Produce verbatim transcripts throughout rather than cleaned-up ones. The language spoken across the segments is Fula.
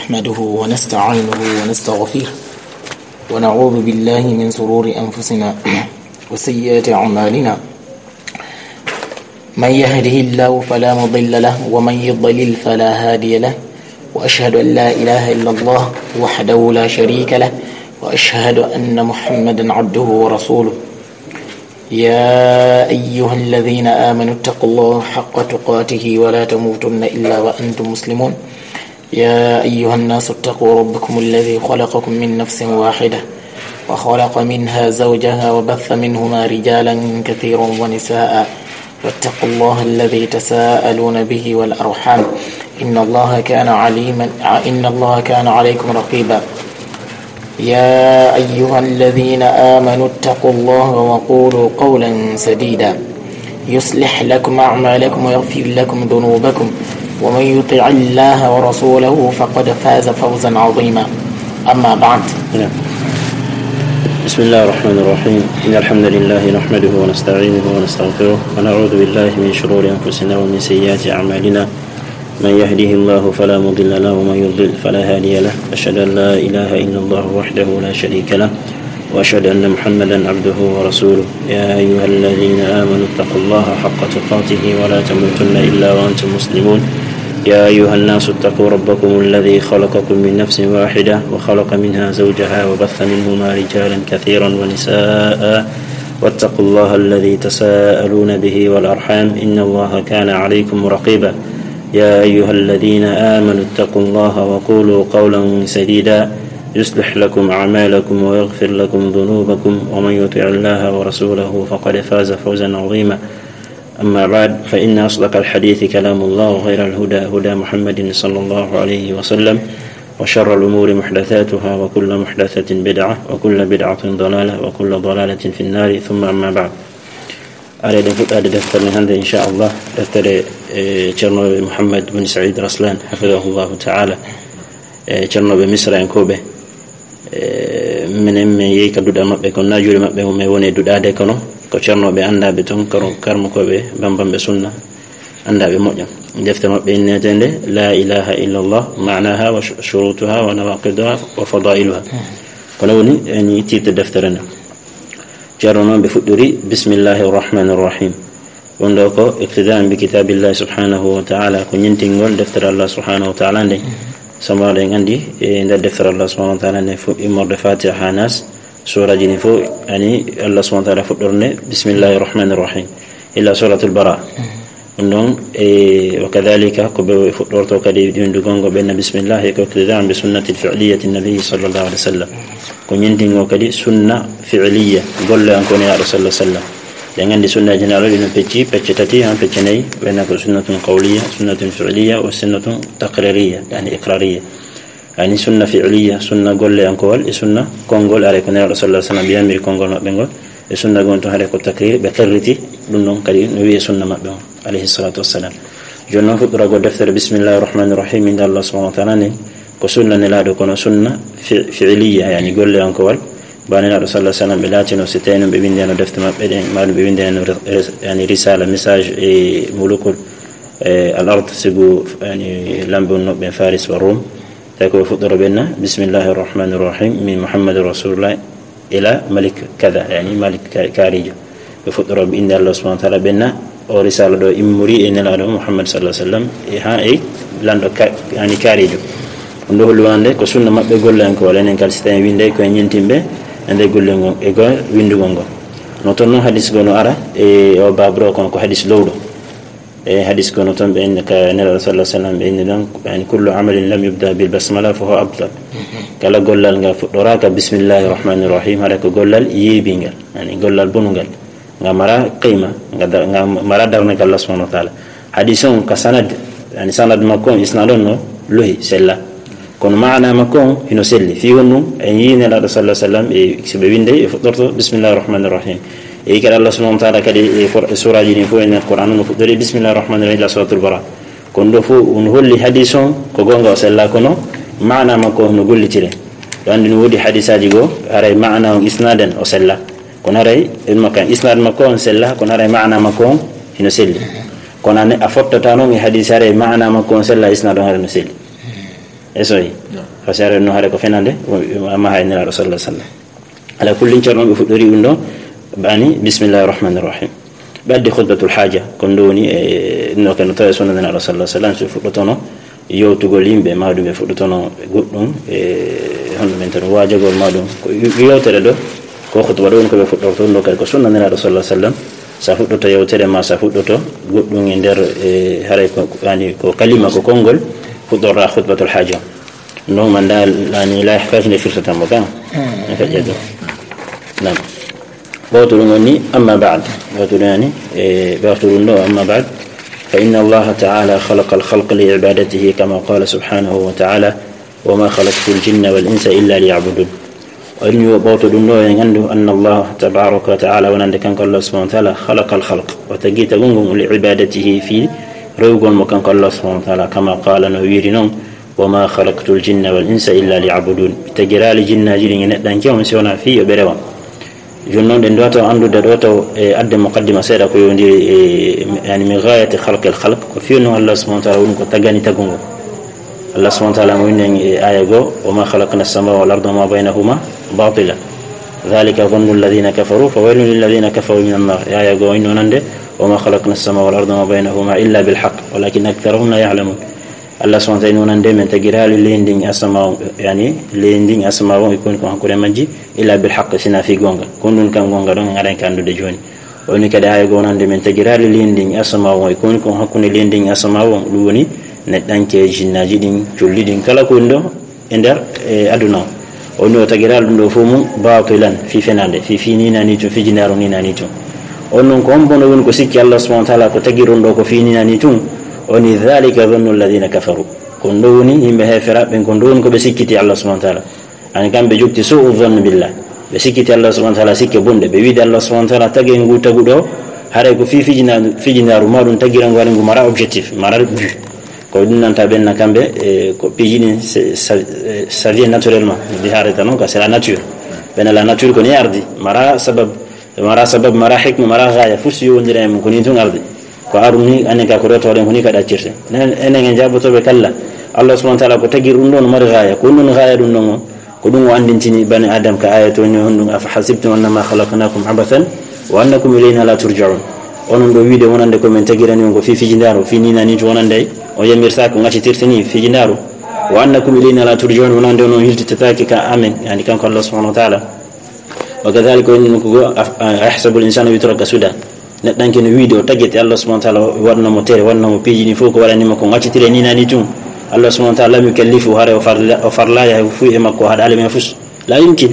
نحمده ونستعينه ونستغفره، ونعوذ بالله من شرور أنفسنا وسيئات أعمالنا. من يهده الله فلا مضل له، ومن يضلل فلا هادي له، وأشهد أن لا إله إلا الله وحده لا شريك له، وأشهد أن محمدا عبده ورسوله. يا أيها الذين آمنوا اتقوا الله حق تقاته ولا تموتن إلا وأنتم مسلمون. يا أيها الناس اتقوا ربكم الذي خلقكم من نفس واحدة وخلق منها زوجها وبث منهما رجالا كثيرا ونساء، واتقوا الله الذي تساءلون به والأرحام، إن الله كان عليما إن الله كان عليكم رقيبا. يا أيها الذين آمنوا اتقوا الله وقولوا قولا سديدا، يصلح لكم أعمالكم ويغفر لكم ذنوبكم، ومن يطع الله ورسوله فقد فاز فوزا عظيما. أما بعد. نعم. بسم الله الرحمن الرحيم. إن الحمد لله نحمده ونستعينه ونستغفره، ونعوذ بالله من شرور أنفسنا ومن سيئات أعمالنا. من يهده الله فلا مضل له، ومن يضلل فلا هادي له. أشهد أن لا إله إلا الله وحده لا شريك له، وأشهد أن محمدا عبده ورسوله. يا أيها الذين آمنوا اتقوا الله حق تقاته ولا تموتن إلا وأنتم مسلمون. يا أيها الناس اتقوا ربكم الذي خلقكم من نفس واحدة وخلق منها زوجها وبث منهما رجالا كثيرا ونساء، واتقوا الله الذي تساءلون به والأرحام، إن الله كان عليكم رقيبا. يا أيها الذين آمنوا اتقوا الله وقولوا قولا سديدا، يصلح لكم أعمالكم ويغفر لكم ذنوبكم، ومن يطع الله ورسوله فقد فاز فوزا عظيما. أما بعد، فإن أصدق الحديث كلام الله، وخير الهدى هدى محمد صلى الله عليه وسلم، وشر الأمور محدثاتها، وكل محدثة بدعة، وكل بدعة ضلالة، وكل ضلالة في النار، ثم أما بعد. Are eɗen fuɗɗaade deftere nde hannde, inchallah, deftere, e, ceernooɓe Mouhammad bin Saïd Raslan, hafidahullahu ta'ala, e, ceernooɓe Misra en koɓe. E, minen min yehi ka duɗal maɓɓe, kono na juuɗe maɓɓe mum e woni e duɗaade, kono ko ceernooɓe anndaaɓe toon, kar-, karmukooɓe bambamɓe sunna, anndaaɓe moƴƴa. Defte maɓɓe inneteende La ilaha illallah, ma'naha wa shu-, shurutuha wa nawaqiduha wa fadailuha. Kono woni eni titre deftere nde. Ceerno noon ɓe fuɗɗori, Bismillahi rahmani rahim. Ɗum ɗo ko iqtidaan bi kitaabillahi subhanahu wa ta'ala, ko ñintingol deftere Allah subhanahu wa ta'ala nde. Sabu en anndi, e nder deftere Allah subhanahu wa ta'ala nde, fof immorde Fatiha haa Nas, suuraji ɗi fof, ani Allah subhanahu wa ta'ala fuɗɗorde, Bismillahi rahmani rahim, ila Suratul Bara. Ɗum ɗon, e, wa kadhalika, ko ɓe fuɗɗorto kadi winndugol ngo, ɓe na bismillah, e ko iqtidaan bi sunnatil fi'liyati nabi sallallahu alaihi wasallam. Ko ñintingol kadi sunna fi'liya, golle an ko Nelaaɗo sallallahu alaihi wasallam. Ɗen anndi sunna e Nelaaɗo ɗi no pecci, pecce tati, han pecce nayi, ɓe na ko sunnatun qawliya, sunnatun fi'liya, wa sunnatun taqririya, yani iqrariya. Yani sunna fi'liya, sunna golle an ko wal, e sunna konngol, are ko Nelaaɗo sallallahu alaihi wasallam ɓe yamiri konngol maɓɓe ngol. E sunna gon to hare ko takriri, ɓe qirriti ɗum ɗon kadi no wi'e sunna maɓɓe on, alayhi salatu wassalam. Jooni noon fuɗɗoragol deftere Bismillahi rahmani rahim, innde Allah subhanahu wa ta'ala ni, ko sunna Nelaaɗo, kono sunna fi-, fi'liya, yani golle on ko wal. Ba Nelaaɗo sallallahu alaihi wasallam ɓe laatino, si tawi noon ɓe winndeno defte maɓɓe ɗen, ma ɗum ɓe winndeno ris-, ris-, yani risala, message e mulukul, e al ard, sigu yani lamɓe wonnooɓe Faris wa Rum. Tawi ko ɓe fuɗɗoro ɓe na, Bismillahi rahmani rahim, min Muhammadu Rasulullah, ila Malik kada, yani Malik ka-, kaarijo. Ɓe fuɗɗoro ɓe innde Allah subhanahu wa ta'ala, ɓe na o risala ɗo immori e Nelaaɗo Muhammad sallallahu alaihi wasallam, e ha e lanɗo ka-, yani kaarijo. Ɗum ɗo holli wonande ko sunna maɓɓe golle an ko wal, enen kadi si tawi winnde ko en ñintinɓe e nder golle ngon, e go winndugol ngol. No toon noon hadis go no ara e o baaburo, kono ko hadis lowɗo. E hadis kono toon ɓe inni ka Nelaaɗo sallallahu alaihi wasallam, ɓe inni ɗon, yani, "Kullu amalin lam yubda bil basmala fa huwa abtal." Kala gollal ngal fuɗɗoraaka bismillahi rahmani rahim, haɗa ko gollal yeebingal, yani gollal bonungal. Nga mara qima, nga da-, nga mara darnde ka Allah subhanahu wa ta'ala. Hadis on ka sanad, yani sanad makko on, isnad on no lohi, sella. Kono maana makko on hino selli. Fii honɗum? En yii Nelaaɗo sallallahu alaihi wasallam, e si ɓe winnde, e fuɗɗorto bismillahi rahmani rahim. E kadi Allah subhanahu wa ta'ala kadi e Qur-, e suuraji ɗin fof e nder Qur'an no fuɗɗori bismillahi rahmani rahim ila suratul Bara. Kono ɗo fof no holli hadis on ko goonga o sella, kono maana makko no gollitire. Ɗo anndi no woodi hadisaaji goo, haray maana on isnadan o sella. Kono haray en makka, isnad makko on sella, kono haray maana makko on hino selli. Kono ane a fottata noon e hadis haray maana makko on sella, isnad on haray no selli. E soyi. Fasare no hare ko fenande, amma hay Nelaaɗo sallallahu alaihi wasallam. Ala kullin, ceerno, ɓe fuɗɗori ɗum ɗo, ɓe ani, bismillahir rahmanir rahim. Ɓe addi khutbatul haja, ko ɗum woni, e, no kano tawa e sunna Nelaaɗo sallallahu alaihi wasallam, so fuɗɗotono yewtugol yimɓe, ma ɗum ɓe fuɗɗotono goɗɗum, e, hono men tan waajagol ma ɗum. Ko yewtere ɗo, ko khutba ɗo woni ko ɓe fuɗɗorto ɗum ɗo, kadi ko sunna Nelaaɗo sallallahu alaihi wasallam. Sa fuɗɗoto yewtere ma, sa fuɗɗoto goɗɗum e nder, e, haray ko, yani, ko kalima, ko konngol, fuɗɗorɗa khutbatul haja. No man da, yani, la yahtaj ne firtata mo kan. Ka jeeto. Nam. Ɓawto ɗum woni, amma ba'd. Ɓawto ɗum yani, e, ɓawto ɗum ɗo, amma ba'd. Fa inna Allah ta'ala khalaqa al-khalqa li ibadatihi kama qala subhanahu wa ta'ala, "Wa ma khalaqtul jinna wal insa illa liya'budun." O inni o ɓawto ɗum ɗo, en anndu anna Allah tabaraka wa ta'ala, wonande kanko Allah subhanahu wa ta'ala, khalaqa al-khalq, o tagi tagol ngol li ibadatihi, fi rewugol mo kanko Allah subhanahu wa ta'ala, kama qala, no wiiri non, "Wa ma khalaqtul jinna wal insa illa liya'budun." Mi tagiraali jinnaaji ɗin e neɗɗanke on si wonaa fii yo ɓe rewan. Jooni noon, ɗen ɗo taw anndude ɗo taw e adde muqaddima seeɗa ko yowndiri e, yani, min ghayati khalqil khalq, ko fii non Allah subhanahu wa ta'ala woni ko tagani tagugol. Allah subhanahu wa ta'ala mo winnen e aya goo, "Wa ma khalaqna as-samaa wal arda wa ma baynahuma batila. Dhalika dhannu alladhina kafaru, fa waylun lilladhina kafaru minan nar." E aya goo, inno nande, "Wa ma khalaqna as-samaa wal arda wa ma baynahuma illa bil haqq, walakin aktharahum la ya'lamun." Allah subhanahu wa ta'ala inno nande, men tagiraali leydi ndin e asama on, yani, leydi ndin e asama on e ko woni ko hakkunde majji, illa bil haqq, sina fii gonga. Ko ɗum kan gonga ɗon en aray ka anndude jooni. O inni kadi aya goo nande, men tagiraali leydi ndin e asama on e ko woni ko hakkunde leydi ndin e asama on, ɗum woni neɗɗanke, jinnaaji ɗin, colli ɗin, kala ko woni ɗo e nder, e, aduna o. O inni o tagiraali ɗum ɗo fof mum batilan, fii fenande, fii, fii ninani tun, fii jindaaru ninani tun. On non ko hombo no woni ko sikki Allah subhanahu wa ta'ala ko tagi ɗum ɗo ko fii ninani tun? O inni, "Dhalika dhannu alladhina kafaru." Ko ɗum ɗo woni yimɓe heeferaaɓe ɓen, ko ɗum ɗo woni ko ɓe sikkiti Allah subhanahu wa ta'ala. Ani kamɓe jokti su'u dhann billah. Ɓe sikkiti Allah subhanahu wa ta'ala sikke bonɗe. Ɓe wiide Allah subhanahu wa ta'ala tagi ngu tagu ɗo, haray ko fii fijina-, fijindaaru ma ɗum tagira ngu, haray ngu mara objectif, mara but. Ko ɗum nanta ɓen na kamɓe, e, ko piiji ɗin, c'est, ça, e, ça vient naturellement. Mi haarata noon ka, c'est la nature. Ɓen la nature ko ni ardi. Mara sabab, mara sabab, mara hikma, mara ghaya. Fof si yowondira e mum, ko ni tun ardi. Ko arum ni, anen ka ko ɗo tawɗen ko ni ka ɗaccirte. Enen, enen en jaabotooɓe kalla. Allah subhanahu wa ta'ala ko tagi ɗum ɗon mari ghaya. Ko ɗum ɗon ghaya ɗum ɗon o. Ko ɗum o anndintini bani Adam ka aya to ni honɗum, "Afa hasibtum annama khalaqnakum abathan wa annakum ilayna la turja'un." Onon ɗo wiide wonande ko men tagirani on ko fii fijindaaru, fii ninani to wonande o yamirta ko ngaccitirte ni fijindaaru. "Wa annakum ilayna la turja'un", wonande onon hiltitataake ka amen, yani kanko Allah subhanahu wa ta'ala. Wa kadhalika, o inni ko go, af-, a-, "Ayahsabul insanu yutraka suda." Neɗɗanke no wiide o tagete Allah subhanahu wa ta'ala, o waɗno mo tere, waɗno mo piiji ɗin fof ko waɗani mo ko ngaccitire ni nani tun. Allah subhanahu wa ta'ala lam yukallifu, haray o farla-, o farlaya fuu e makko haɗaali men fus. La yumkin.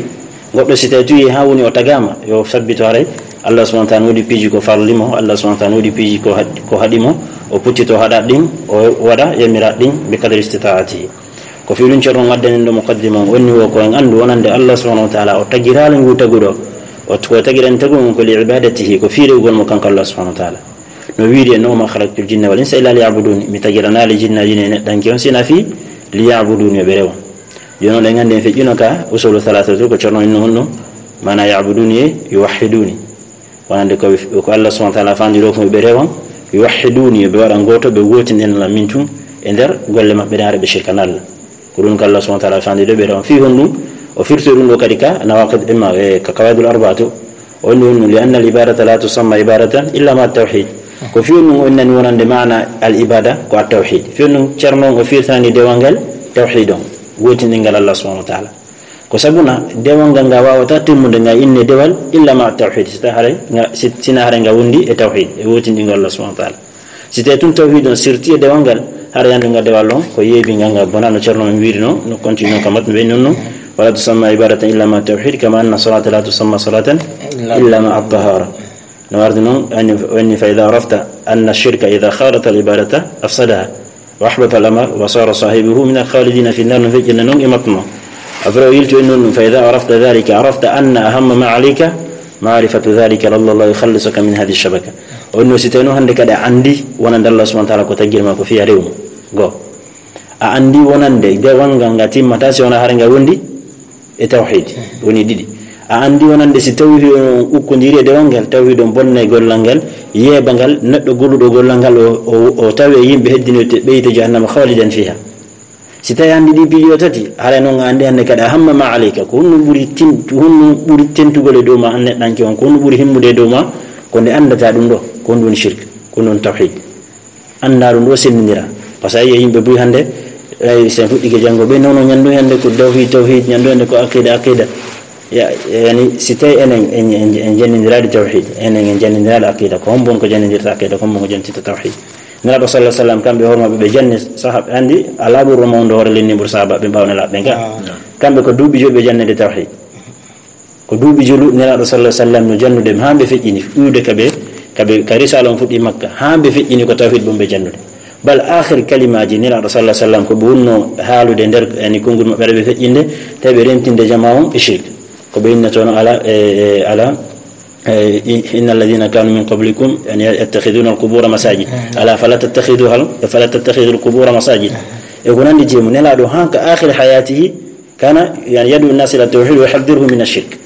Goɗɗo si tawi tuyi ha woni o tagama, yo sabbito haray. Allah subhanahu wa ta'ala no woodi piiji ko farli mo, Allah subhanahu wa ta'ala no woodi piiji ko had-, ko haɗi mo, o puttito haɗaat ɗin, o waɗa yamiraat ɗin bi qadri istita'atihi. Ko fii ɗum ceerno ngaddanen ɗo muqaddima on, onni wo ko en anndu wonande Allah subhanahu wa ta'ala o tagiraali ngu taguɗo, o ko tagirani tagu ngu ko li ibadatihi, ko fii rewugol mo kanko Allah subhanahu wa ta'ala. No wiiri en, "Wa ma khalaqtul jinna wal insa illa liya'budun." Mi tagiranaali jinnaaji e neɗɗanke on sina fii liya'budun, yo ɓe rewan. Jooni on ɗen anndi en feƴƴino ka usulu thalatha to ko ceerno inno honno, maana ya'buduni e yuwahhiduni. Wonande ko, ko Allah subhanahu wa ta'ala fandi ɗo ko ɓe rewan, yuwahhiduni, ɓe waɗa gooto, ɓe wootinen la min tun e nder golle maɓɓe ɗe, hara ɓe shirkana Allah. Ko ɗum ko Allah subhanahu wa ta'ala fandi ɗo ɓe rewan. Fii honɗum? O firti ɗum ɗo kadi ka nawaqid imma, e, ka qawaidul arba'a to. O inni honɗum, "Li anna al ibadata la tusamma ibadatan illa ma tawhid." Ko fii honɗum o innani wonande maana al ibada ko at tawhid. Fii honɗum ceerno on o firtani dewal ngal tawhid on, wootindingal Allah subhanahu wa ta'ala. Ko sabuna dewal ngal, ngal waawata timmude, ngal inne dewal, illa ma tawhid, si ta haray nga, si, sina haray nga wondi e tawhid, e wootindingol Allah subhanahu wa ta'ala. Si tawi tun tawhid on sirti e dewal ngal, haray anndu nga dewal on ko yeebi ngal, ngal bona, no ceerno men wiiri no, no continue ka matnu ɓe non no, "Wala tusamma ibadatan illa ma tawhid, kama anna salata la tusamma salatan illa ma at-tahara." No wardi non, anni, anni, "Fa idha arafta anna ash-shirka idha khalata al-ibadata afsadaha." Wa ahbata al-amal wa sara sahibuhu min al-khalidina fi an-nar, no feƴƴinna non e matno. Après o yilti en non ɗum, "Fa idha arafta dhalika, arafta anna ahamma ma alayka ma'rifatu dhalika la'alla Allah yukhallisaka min hadhihi ash-shabaka." O no si tawi no hannde kadi a anndi wonande Allah subhanahu wa ta'ala ko tagir ma ko fiya rew mo. Go. A anndi wonande dewal ngal nga timmata si wona hare nga wondi e tawhid, woni ɗiɗi. A anndi wonande si tawhid on ukkondiri e dewal ngal, tawhid on bonnay gollal ngal, yeeba ngal, neɗɗo golluɗo gollal ngal, o, o, o tawe e yimɓe heddinoyte ɓeyte jahannama khalidan fiha. Si tawi a anndi ɗi piiji o tati, haray noon a anndi hannde kadi a hamma ma aleyka, ko honno ɓuri tin-, ko honno ɓuri tentugol e dow ma, an neɗɗanke on, ko honno ɓuri himmude e dow ma, ko nde anndata ɗum ɗo, ko honɗum woni shirk, ko honɗum woni tawhid. Annda ɗum ɗo senndindira. Par ce que a yiya yimɓe buy hannde, ay, sen fuɗɗike janngo, ɓe nono ñanndu hannde ko tawhid, tawhid, ñanndu hannde ko aqida, aqida. Ya, yani, si tawi enen en, en, en janndindiraali tawhid, enen en janndindiraali aqida, ko hombo on ko janndindirta aqida, ko hombo on ko janndindirta tawhid? Nelaaɗo sallallahu alaihi wasallam, kamɓe hoore maɓɓe ɓe janni sahaaba, anndi alaa ɓurɗo mawndo hoore lenni ɓur sahaaba ɓe ɓaawo Nelaaɗo ɓen ka. Ah. Kamɓe ko duuɓi joyi ɓe jannede tawhid. Ko duuɓi joyi Nelaaɗo sallallahu alaihi wasallam no jannude haa ɓe feƴƴini, iwde ka ɓe, ka ɓe, ka risaala on fuɗɗi Makka, haa ɓe feƴƴini ko tawhid bun ɓe jannude. Bal aakhir kalimaaji Nelaaɗo sallallahu alaihi wasallam ko ɓe wonno haalude nder, yani, konngol maɓɓe, ɓe feƴƴinde, tawi ɓe rentinde jamaa on e shirk. Ko ɓe innatoono ala, e, e, ala, e, i-, inna alladhina kanu min qablikum, yani, yattakhidhuna al-qubura masajid. Ala fala tattakhiduha, fala tattakhidhu al-qubura masajid. E ko nanndi jeemu, Nelaaɗo haa ka aakhir hayatihi, kana, yani, yad'u an-nasa ila tawhid wa yuhadhdhiruhum min ash-shirk.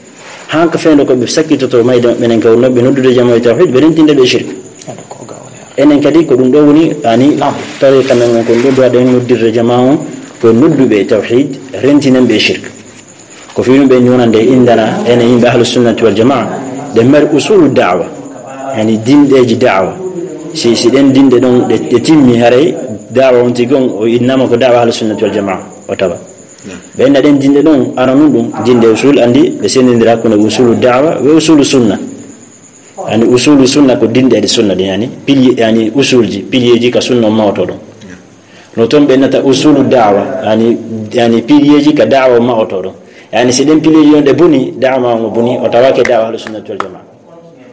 Haa ka fewndo ko ɓe sakkitoto mayde maɓɓe nden, ka wonno ɓe noddude jamaa e tawhid, ɓe rentinde ɓe shirk. Enen kadi ko ɗum ɗo woni, yani, tariqa men on, ko ɗum ɗo duwaɗen noddirde jamaa on, ko nodduɓe e tawhid, rentinen ɓe e shirk. Ko fii ɗum ɓe ñuunande indana enen yimɓe ahlu sunnati wal jamaa, ɗe mari usulu da'wa, yani, dinɗeeji da'wa. Si, si ɗen dinɗe ɗon ɗe, ɗe timmi, haray da'wa on tigi on o innama ko da'wa ahlu sunnati wal jamaa, o tawa. Ɓe inna ɗen dinɗe ɗon, aranun ɗum, dinɗe usul, anndi ɓe senndindira hakkunde usulu da'wa e usulu sunna. Yani, usulu sunna ko dinɗe ɗe sunna ɗin, yani, pilier, yani, usulji, pilierji ka sunna on mawotoo ɗon. No ton ɓe innata usulu da'wa, yani, yani, pilierji ka da'wa on mawotoo ɗon. Yani, si ɗen pilierji on ɗe boni, da'wa ma on o boni, o tawake da'wa ahlu sunnati wal jamaa.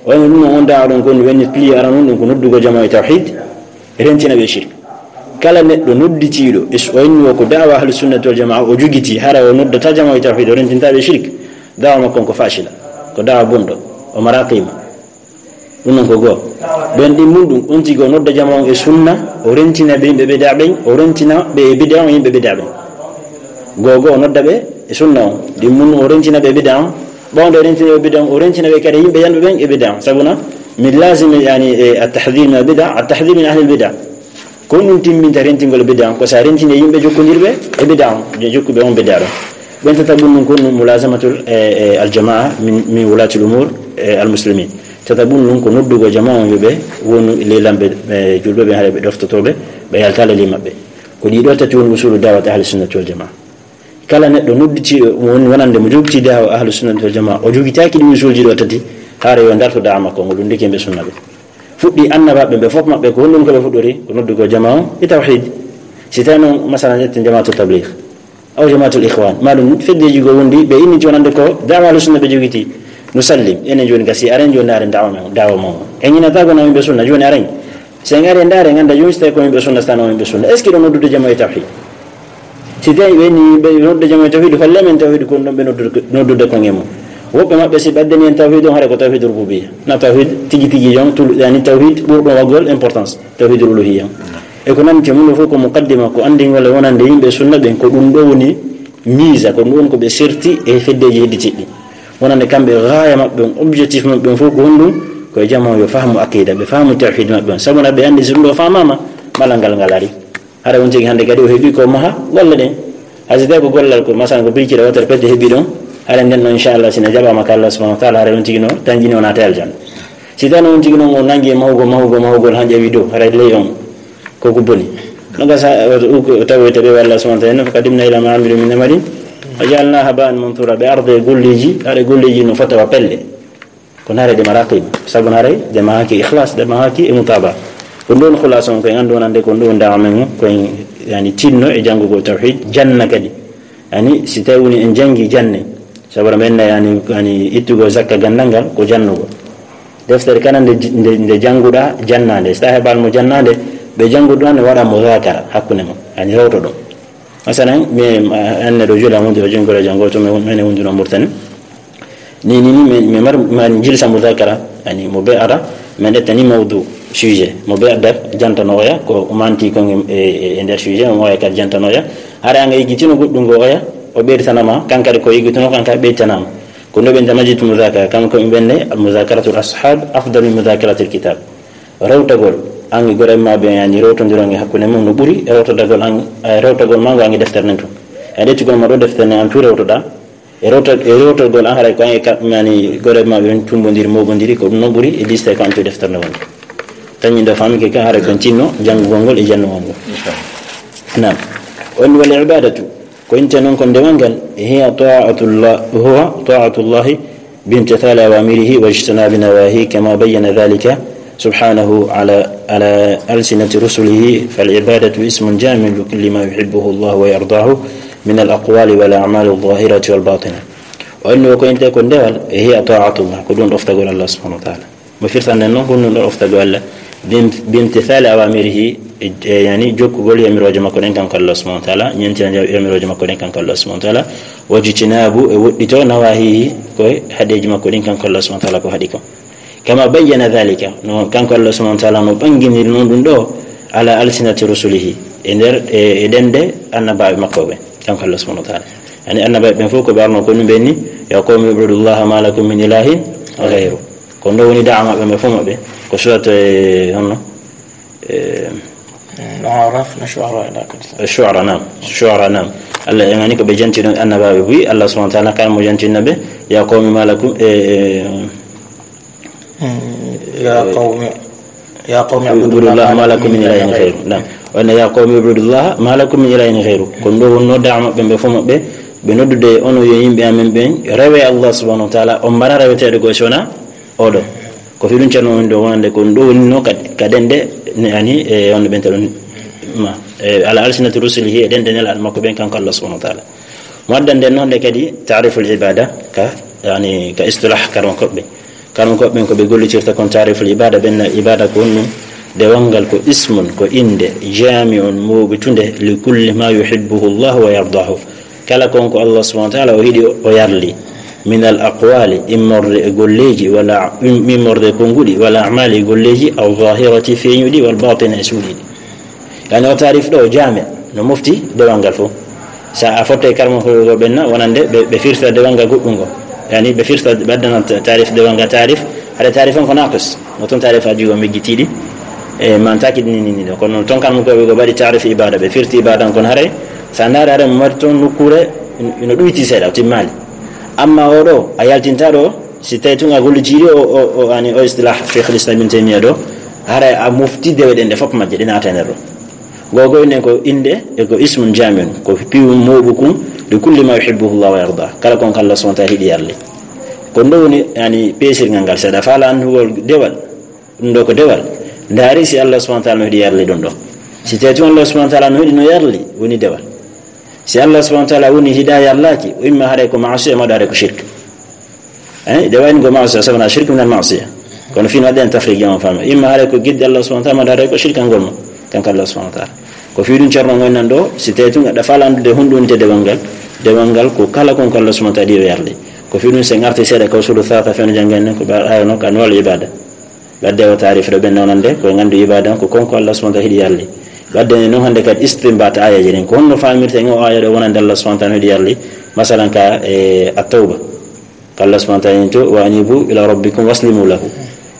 O wayno ɗum no on da'wa ɗon ko woni pilier aranun ɗum ko noddugol jamaa e tawhid, rentina ɓe shirk. Kala neɗɗo nodditiiɗo, e s-, o inni o ko da'wa ahlu sunnati wal jamaa o jogiti, hara o noddata jamaa e tawhid, o rentinta ɓe shirk, da'wa makko on ko fashila, ko da'wa bonɗo, o mara qima. Ɗum non ko goo. Ɓen ɗin mun ɗum, on tigi o nodda jamaa on e sunna, o rentina ɓe yimɓe bid'a ɓen, o rentina ɓe e bid'a on yimɓe bid'a ɓen. Goo goo o nodda ɓe e sunna on, ɗin mun o rentina ɓe e bid'a on, ɓawde o rentina ɓe e bid'a on, o rentina ɓe kadi yimɓe yanɓe ɓen e bid'a on. Sabuna, min lazimi, yani, e, at-tahdhir min al-bid'a, at-tahdhir min ahli al-bid'a. Ko ɗum timminta rentingol bid'a on, ko si a rentini yimɓe jokkondirɓe e bid'a on, jokkuɓe on bid'a ɗon. Ɓen tataɓun ɗum ko ɗum mulazamatul, e, e, al-jamaa min, min wulatil umur, e, al-muslimin. Tataɓun ɗum ko noddugol jamaa on yo ɓe wonu ley lamɓe, e, julɓe ɓen, haray ɓe ɗoftotooɓe, ɓe yaltaali ley maɓɓe. Ko ɗii ɗoo tati woni usulu da'wati ahli sunnati wal jamaa. Kala neɗɗo nodditiiɗo, won-, wonande mo jogiti da'wa ahlu sunnati wal jamaa, o jogitaaki ɗi usulji ɗoo tati, haray yo darto da'wa makko on, o lunndike yimɓe sunna ɓe. Fuɗɗi annabaaɓe ɓe fof maɓɓe, ko honɗum ko ɓe fuɗɗori? Ko noddugol jamaa on e tawhid. Si tawi noon, masalan, ƴetten jamaatu tabligh, aw jamaatul ikhwan, maa ɗum feddeeji goo wondi, ɓe inniti wonande ko da'wa ahlu sunna ɓe jogiti. Nusallim, enen jooni gasi, aren jooni aren da'wa men, da'wa mon. En ñinata ko no yimɓe sunna, jooni aren. Si en ari en ndaari, en annda jooni si tawi ko yimɓe sunna, si tawi ko yimɓe sunna. Est-ce que ɗo noddude jamaa e tawhid? Si tawi ɓe ni ɓe noddude jamaa e tawhid, holle men tawhid ko ɗum ɓe noddude, noddude kon e mum. Woɓɓe maɓɓe si ɓe addani en tawhid on, hara ko tawhid rububiyya. Na tawhid tigi tigi jon, tul-, yani tawhid ɓurɗo waggol importance, tawhid uluhiyya. E ko nanndi e mum ɗo fof ko muqaddima, ko anndingol e wonande yimɓe sunna ɓen, ko ɗum ɗo woni miisa, ko ɗum ɗon ko ɓe serti e feddeeji hedditiiɗi. Wonande kamɓe gaaya maɓɓe on, objectif maɓɓe on fof ko honɗum? Ko e jamaa yo fahmu aqida, ɓe fahmu tawhid maɓɓe on. Sabu na ɓe anndi si ɗum ɗo famaama, malal ngal ngal ari. Hara on tigi hannde kadi o heɓi ko maha golle ɗen. Hay si tawi ko gollal ko, masalan, ko birkira wootere pette heɓi ɗon, hara nden ɗon, inchallah, si no jaɓaama ka Allah subhanahu wa taala, hara on tigi no tanƴini o naata aljanna. Si tawi on tigi noon o nangi e mahugol, mahugol, mahugol, han ƴawi dow, hara ley on ko ko boni. No gasa, o, o, o tawoyta ɓe Allah subhanahu wa taala, "Fa qadimna ila ma amilu min amalin, fa ja'alnahu haba'an manthura." Ɓe arda e golleeji, hara golleeji no fota wa pelle. Kono haray ɗe mara qima. Sabu haray ɗe mahaaki ikhlas, ɗe mahaaki e mutaba. Ko ɗum ɗon khulasa on ko en anndu wonande ko ɗum ɗon da'wa men on, ko en, yani, tinno e janngugol tawhid, janna kadi. Yani, si tawi woni en janngi, janne. Sabu men na, yani, yani, ittugol zakka ganndal ngal ko jannugol. Deftere kala nde, nde, nde jannguɗaa, jannaa nde. Si tawi heɓaali mo jannaa nde, ɓe jannguɗaa nde waɗa mudhakara hakkunde mon. Yani, rewto ɗum. Masalan, mi, ma, an neɗɗo juula wonde o janngola janngo to mi, min e wonduno Mauritanie. Ni, ni, ni, mi, mi mar, mar jilsa mudhakara, yani, mo be ara, min ƴetta ni mawdu, sujet. Mo be addat, jantano oya, ko manti ko e, e, e nder sujet, mo oya kadi jantano oya. Hara anga yiggitino goɗɗum ngo oya, o ɓeyditanama, kankadi ko yiggitino, kanka ɓeyditanama. Ko ndo ɓe nta majid mudhakara, kam ko ɓe ɓenne, mudhakaratul ashab, afdal min mudhakaratil kitab. Rewtagol An e gorema ɓen, yani, rewtondiron e hakkunde mum no ɓuri e rewtodagol an, e rewtagol ma ngo an e deftere nden tun. E ƴettugol ma ɗo deftere nden an tun rewtoɗa, e rewta-, e rewtogol an haray ko an e ka-, yani, gorema ɓen tumbondiri, moɓondiri, ko ɗum non ɓuri e liste ko an tun e deftere nden woni. Tañi ɗo famike kan haray kon tinno janngugol ngol e jannugol ngol. Naam. On wal ibadatu. Ko inte non ko ndewal ngal, hiya ta'atullah, huwa ta'atullahi bimtithali awamirihi wajtinabi nawahi, kama bayyana dhalika subhanahu ala, ala alsinati rusulihi, fal ibadatu ismun jami'un li kulli ma yuhibbuhu Allah wa yardahu min al aqwali wal a'mali al zahirati wal batina. O inni ko inte ko ndewal, hiya ta'atullah, ko ɗum ɗoftagol Allah subhanahu wa ta'ala. Mo firtande noon ko ɗum ɗo ɗoftagol Allah, bim-, bimtithali awamirihi, e, e, yani jokkugol yamirooje makko ɗen kanko Allah subhanahu wa ta'ala, ñentina yamirooje makko ɗen kanko Allah subhanahu wa ta'ala, wajtinabu e woɗɗito nawahihi, ko e haɗeeji makko ɗin kanko Allah subhanahu wa ta'ala ko haɗi ko. Kama bayyana dhalika, no kanko Allah subhanahu wa ta'ala no ɓanginiri noon ɗum ɗo, ala alsinati rusulihi, e nder, e, e ɗemɗe annabaaɓe makko ɓe, kanko Allah subhanahu wa ta'ala. Yani annabaaɓe ɓen fof ko ɓe arno ko ɗum ɓe ni, ya qawmi ubudullaha ma lakum min ilahin ghayru. Ko ndo woni da'a maɓɓe ɓe fof maɓɓe. Ko surat, e, honno? E, Araf na Shu'ara ila kadi. Shu'ara, naam. Shu'ara, naam. Allah e ngani ko ɓe janti ɗon annabaaɓe buy. Allah subhanahu wa ta'ala kan mo jantinna ɓe. Ya qawmi ma lakum, e, e, يا قوم يا قوم اعبدوا ubudullaha ma lakum min ilahin ghayru. Naam. Wonno ya qawmi ubudullaha ma lakum min ilahin ghayru. Ko ndo wonno da'a maɓɓe ɓe fof maɓɓe. Ɓe noddude onon yo yimɓe amen ɓen, rewe Allah subhanahu wa ta'ala, on mbaɗa reweteeɗo goo si wonaa oɗo. Ko fii ɗum ceerno woni ɗo wonande ko ɗum ɗo woni no ka, ka ɗemɗe, ne ani, e on ɓen taɗum ma. E, ala alsinati rusulihi, e ɗemɗe nelaaɗo makko ɓen kanko Allah subhanahu wa ta'ala. Mo addande noon nde kadi ta'riful ibada ka, yani, ka istilah karma koɓɓe. Karma koɓɓe ɓen ko ɓe gollitirta kon ta'riful ibada, ɓen na ibada ko honɗum? Dewal ngal ko ismun, ko innde, jami'un, mooɓitunde, li kulli ma yuhibbuhu Allah wa yardahu. Kala kon ko Allah subhanahu wa ta'ala o yiɗi, o yarli. Min al aqwali, immorde e golleeji, wala im-, immorde e konnguɗi, wala a'mali e golleeji, al zahirati feeñuɗi, wal batina e suuɗiɗi. Yani o taarif ɗo jaami no mofti dewal ngal fof. Sa a fotte karma ko ɓen na wonande ɓe, ɓe firta dewal ngal goɗɗum ngo. Yani ɓe firta ɓe addana ta-, taarif dewal ngal taarif. Haɗa taarif on ko naqis. No toon taarif aji o meggitiiɗi. E man taki ni ni ni ɗo. Kono toon karma ko ɓe ko mbaɗi taarif ibada, ɓe firti ibada on kono haray. Sa ndaari haray mo mari toon nokkuure ino, ino ɗuyti seeɗa, o timmaali. Amma o ɗo, a yaltinta ɗo, si tawi tun a gollitii o, o, o, ani o istilah Cheikh al-Islam Ibn Taymiyyah ɗo, haray a mofti dewe ɗen ɗe fof majje ɗe naata e nder ɗo. Gogo inen ko innde e ko ismun jami'un, ko piwu mooɓu kun, li kulli ma yuhibbuhu Allah wa yarda. Kala kon ko Allah subhanahu wa ta'ala yiɗi yarli. Ko ɗo woni, yani, peesirgal ngal. Seeɗa faala anndugol dewal, ɗum ɗo ko dewal. Ndaari si Allah subhanahu wa ta'ala no yiɗi yarli ɗum ɗo. Si tawi tun Allah subhanahu wa ta'ala no yiɗi no yarli, woni dewal. Si Allah subhanahu wa ta'ala woni hiɗa yarlaaki, o imma haray ko ma'asiya, ma haray ko shirk. Eh, de wayni ko ma'asiya, sabana shirk min al ma'asiya. Kono fii no waɗɗen tafriq jama fama. Imma haray ko gidde Allah subhanahu wa ta'ala, ma haray ko shirkangol mo. Kanko Allah subhanahu wa ta'ala. Ko fii ɗum ceerno ngon nan ɗo, si tawi tun aɗa faala anndude honɗum woni dewal ngal, dewal ngal ko kala kon ko Allah subhanahu wa ta'ala yiɗi o yarli. Ko fii ɗum si en arti seeɗa ka usulu thalatha feno janngen nen ko ɓe ayono ka anwal ibada. Ɓadde o taarif ɗo ɓen nonande, ko e ngandu ibada on, ko kon ko Allah subhanahu wa ta'ala yiɗi yarli. Ɓadde ne non hannde kadi istinbat ayaji ɗin. Ko honno faamirte en o aya ɗo wonande Allah subhanahu wa ta'ala yiɗi yarli? Masalan ka, e, At-Tawba. Ko Allah subhanahu wa ta'ala to, "Wa anibu ila rabbikum waslimu lahu."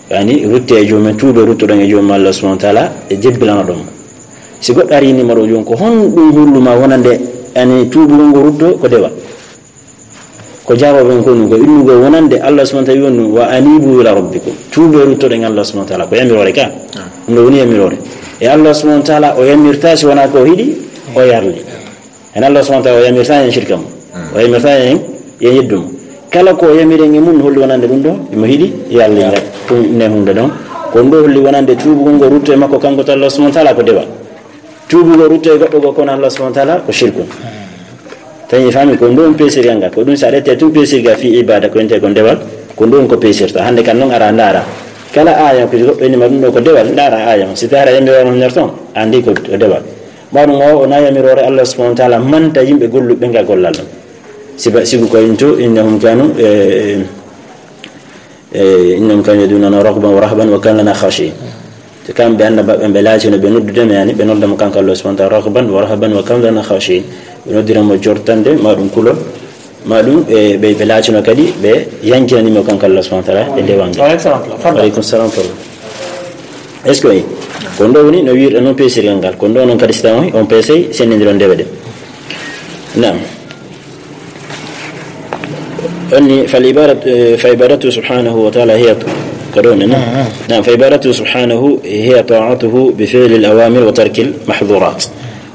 Yani, rutte e joomum, tuube ruttoɗon e joomum Allah subhanahu wa ta'ala, e jebbilanoɗon mo. Si goɗɗo ari ni maɗo joom, ko honɗum hullu ma wonande, yani, tuubugol ngo rutto ko dewal? Ko jaabooɓe en ko ɗum, ko innugol wonande Allah subhanahu wa ta'ala woni ɗum, "Wa anibu ila rabbikum." Tuube ruttoɗen Allah subhanahu wa ta'ala, ko yamiroore ka. Ɗum ɗo woni yamiroore. E Allah subhanahu wa ta'ala o yamirta si wonaa ko o hiɗi, o yarli. En Allah subhanahu wa ta'ala o yamirta en shirka mo. O yamirta en, en yeddu mo. Kala ko o yamiri en e mum holli wonande ɗum ɗo, imo hiɗi yarli ngal. Ɗum ne hunde ɗon. Ko ɗum ɗo holli wonande tuubugol ngo rutto e makko kanko to Allah subhanahu wa ta'ala ko dewal. Tuubugol rutto e goɗɗo goo kono Allah subhanahu wa ta'ala ko shirkun. Tawi faami ko ɗum peesirgal ngal. Ko ɗum sa ƴettee tun peesirgal fii ibada ko wiyetee ko dewal, ko ɗum ko peesirta. Hannde kan non ara ndaara. Kala aya ko goɗɗo inni ma ɗum ɗo ko dewal, ndaara aya on. Si tawi hara yamiroore nder ton, anndi ko, ko dewal. Ma ɗum o, o na yamiroore Allah subhanahu wa ta'ala manta yimɓe golluɓe ngal gollal ɗum. Siba, sibu ko into, innahum kanu, e, e, E, innahum kanu yad'unana raghaban wa rahaban wa kanu lana khashi'in. Te kamɓe annabaaɓe ɓe laatino ɓe noddude men, yani, ɓe nodda mo kanko Allah subhanahu wa ta'ala raghaban wa rahaban wa kanu lana khashi'in. Ɓe noddira mo jortande, ma ɗum kulol, ma ɗum, e, ɓe, ɓe laatino kadi, ɓe yankinani mo kanko Allah subhanahu wa ta'ala e dewal ngal. Wa alaikum salam. Wa alaikum salam. Est-ce que, Ko ɗum ɗo woni no wiirɗen noon peesirgal ngal. Ko ɗum ɗo noon kadi si tawii on peesay, senndindiron ndewe ɗe. Naam. Onni, fal ibadat, eh, fa ibadatu subhanahu wa ta'ala hiya, ko ɗo ne, naam. Naam, fa ibadatu subhanahu hiya ta'atuhu bi fi'li al-awamir wa tarki al-mahdhurat.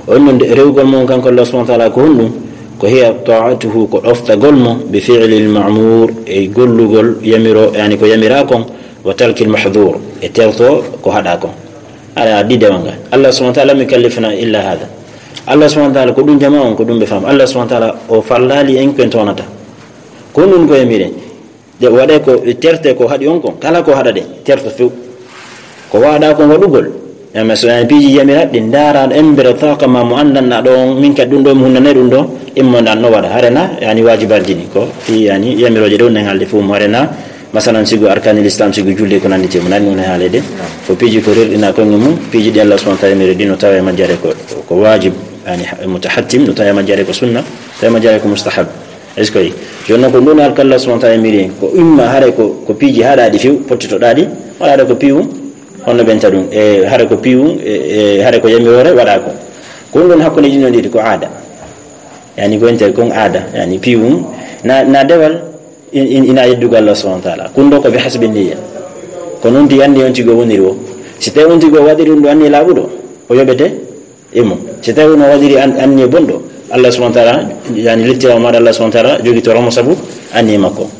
On noon de, rewugol mum kanko Allah subhanahu wa ta'ala ko honɗum? Ko hiya ta'atuhu, ko ɗoftagol mo, bi fi'li al-ma'mur, e gollugol yamiro, yani ko yamira kon, wa tarki al-mahdhur, e terto ko haɗa kon. Aɗa addi dewal ngal. Allah subhanahu wa ta'ala lam yukallifna illa hadha. Allah subhanahu wa ta'ala ko ɗum jama on, ko ɗum ɓe faam. Allah subhanahu wa ta'ala o fallaali en ko en toonata. Ko ɗum ko yamiren. De waɗe ko terte ko haɗi on kon. Kala ko haɗa de, terto few. Ko waɗa kon waɗugol. Amma so yani piiji yamira ɗi ndaara embere taaka ma mo anndanɗa ɗo on, min kadi ɗum ɗo mi hunnanay ɗum ɗo, immo ndan no waɗa. Harena, yani wajibaji ni ko, fi yani yamirooje ɗo nen haalde fof mo harena, masalan, sigo arkanil Islam, sigo julde ko nanndi temo, nani woni haalede. Ko piiji ko rerɗina koye mum, piiji ɗi Allah subhanahu wa ta'ala yamiri ɗi no tawa e majjere ko, ko wajib, yani ha-, mutahattim, no tawa e majjere ko sunna, tawa e majjere ko mustahab. Est-ce que? Jooni noon ko ɗum alkalla subhanahu wa ta'ala yamiri en, ko imma hare ko, ko piiji haɗaɗi few, pottitoɗaɗi, waɗaɗo ko piiwu, honno ɓenta ɗum, e hare ko piiwu, e, e hare ko yamiroore waɗa ko. Ko ɗum ɗon hakkunde ɗin ɗon ɗiɗi ko aada. Yani ko enter kon aada, yani piiwu, na, na dewal, in, in, ina yeddugo Allah subhanahu wa ta'ala. Kunɗo ko bi hasbi niyya. Ko noon ti anni on tigo woniri o. Si tawi on tigo waɗiri ɗum ɗo anni laaɓuɗo, o yoɓete e mum. Si tawi no waɗiri an, anni bonɗo, Allah subhanahu wa ta'ala, yani lettirama maɗa Allah subhanahu wa ta'ala, jogitoro mo sabu anni makko.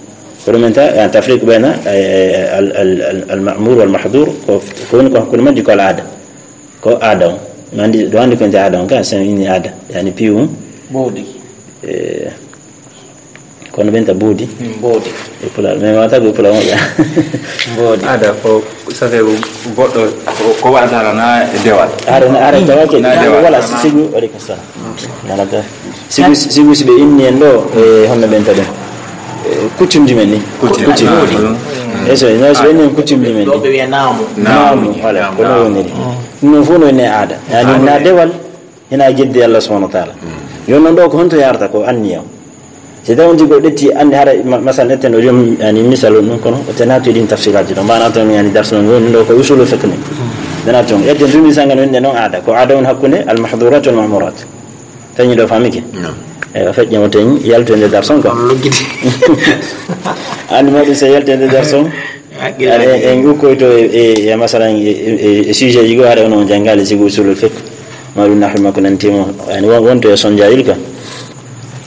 Ko ɗum enta, yani tafriq bayna, eh, al, al, al, al ma'mur wal mahdhur, ko, ko woni ko hakkunde majji ko al aada. Ko aada on. Mi anndi, ɗo anndi ko enta aada on, ka sen inni aada. Yani piiwu. Mboodi. Eh, Kono ɓen ta boodi. Mm, boodi. E pulaar, mais wata ko e pulaar moƴƴa. Boodi. Aada ko safe goɗɗo ko, ko waɗata na e dewal. Aada na, aada tawa ke. Na e dewal. Wala sigu, aleykum salam. Wala ta. Sigu, sigu si ɓe inni en ɗo, e honno ɓen ta ɗum. E, coutume ji men ni. Coutume. Coutume. Mm. E so, no, so ɓe inni en coutume ji men ni. Ɗo ɓe wiya naamu. Naamu, voilà, ko ɗo woniri. Ɗum fof no woni aada. Yani na dewal, hina e jeddi Allah subhanahu wa ta'ala. Yo non ɗo ko honto yarata ko anniya. Si tawi on tigi o ƴetti anni hara ma-, masal etten o joom, yani, misal on ɗum kono o tenati ɗin tafsilaji ɗo. Mbana toon, yani, darsu men woni ɗo ko usulul fiqh ni. Tenati on. Etten dumi sanga no wonde non aada. Ko aada on hakkunde al mahdurat wal ma'murat. Tañi ɗo famike. No. E o feƴƴe mo teñi yaltu e nder darsu on ko. On luggiti. Anni mo ɗum se yaltu e nder darsu on. Hakkille. Aɗa, en, en ukkoyto e, e, e masalan, e, e, e sujet ji goo, haɗa ono on janngaali sibu usulul fiqh, ma ɗum nahwi makko nanti mo, yani, won, wonto e sonjayil ka.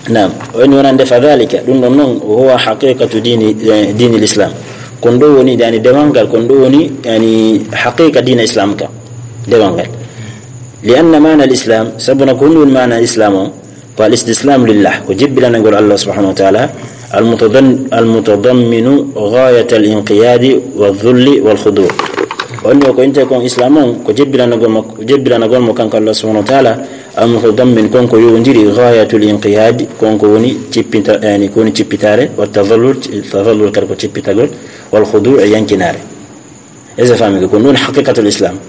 Naam, o inni wonande fa dhalika, ɗum ɗon noon, huwa haqiqatu dini, eh, dinil Islam. Kon ɗo woni, yani, dewal ngal, kon ɗo woni, yani, haqiqa diina Islam ka, dewal ngal. Li anna maana al Islam, sabu na ko honɗum woni maana Islam o? Ko al istislamu lillah, ko jebbilanagol Allah subhanahu wa ta'ala, al mutadam-, al mutadamminu ghayat al inqiyadi wa dhulli wal khudu'. Wonde ko inte kon Islam on, ko jebbilanagol mo, jebbilanagol mo kanko Allah subhanahu wa ta'ala, al mutadammin kon ko yowndiri ghayat al inqiyadi, kon ko woni cippita, yani ko woni cippitare, wa tadhallul, tadhallul kadi ko cippitagol, wal khudu' e yankinaare. Est-ce que faami ko? Ko ɗum woni haqiqatul Islam.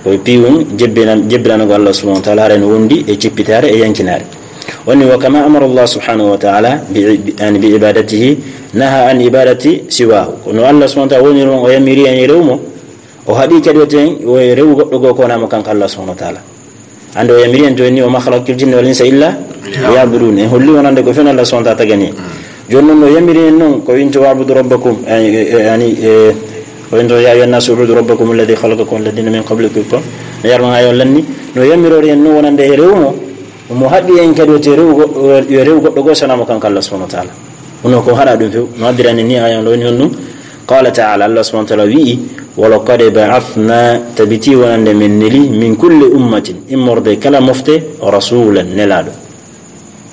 Ko e piiwum jebbina-, jebbilanago Allah subhanahu wa ta'ala, haray no wondi e cippitaare e yankinaare. Woni wa kama amara Allah subhanahu wa ta'ala bi, bi, yani bi ibadatihi, naha an ibadati siwahu. Kono Allah subhanahu wa ta'ala woni ɗon o yamiri en e rewu mo, o haɗi kadi o ten, o e rewu goɗɗo goo ko wonaa mo kanko Allah subhanahu wa ta'ala. Hannde o yamiri en to en ni, "Wa ma khalaqtul jinna wal insa illa liya'budun." En holli wonande ko fen Allah subhanahu wa ta'ala tagani. Jooni noon no yamiri en noon, ko winto, "Wa'budu rabbakum," yani, e, e, yani, e, ko winto, "Ya ayyuhan nasu u'budu rabbakum alladhi khalaqakum walladhina min qablikum." Ko no yarma ayo lanni, no yamirori en noon wonande e rewu mo, mo haɗi en kadi o te rewu goɗɗo, yo rewu goɗɗo goo sanaa mo kanko Allah subhanahu wa ta'ala. Kono ko haɗa ɗum few, no addirani ni ayan ɗo ni honɗum. Qala ta'ala, Allah subhanahu wa ta'ala wi'i, "Wa laqad ba'athna," tabiti wonande men neli, "min kulli ummatin," immorde kala mofte, "rasulan," nelaaɗo.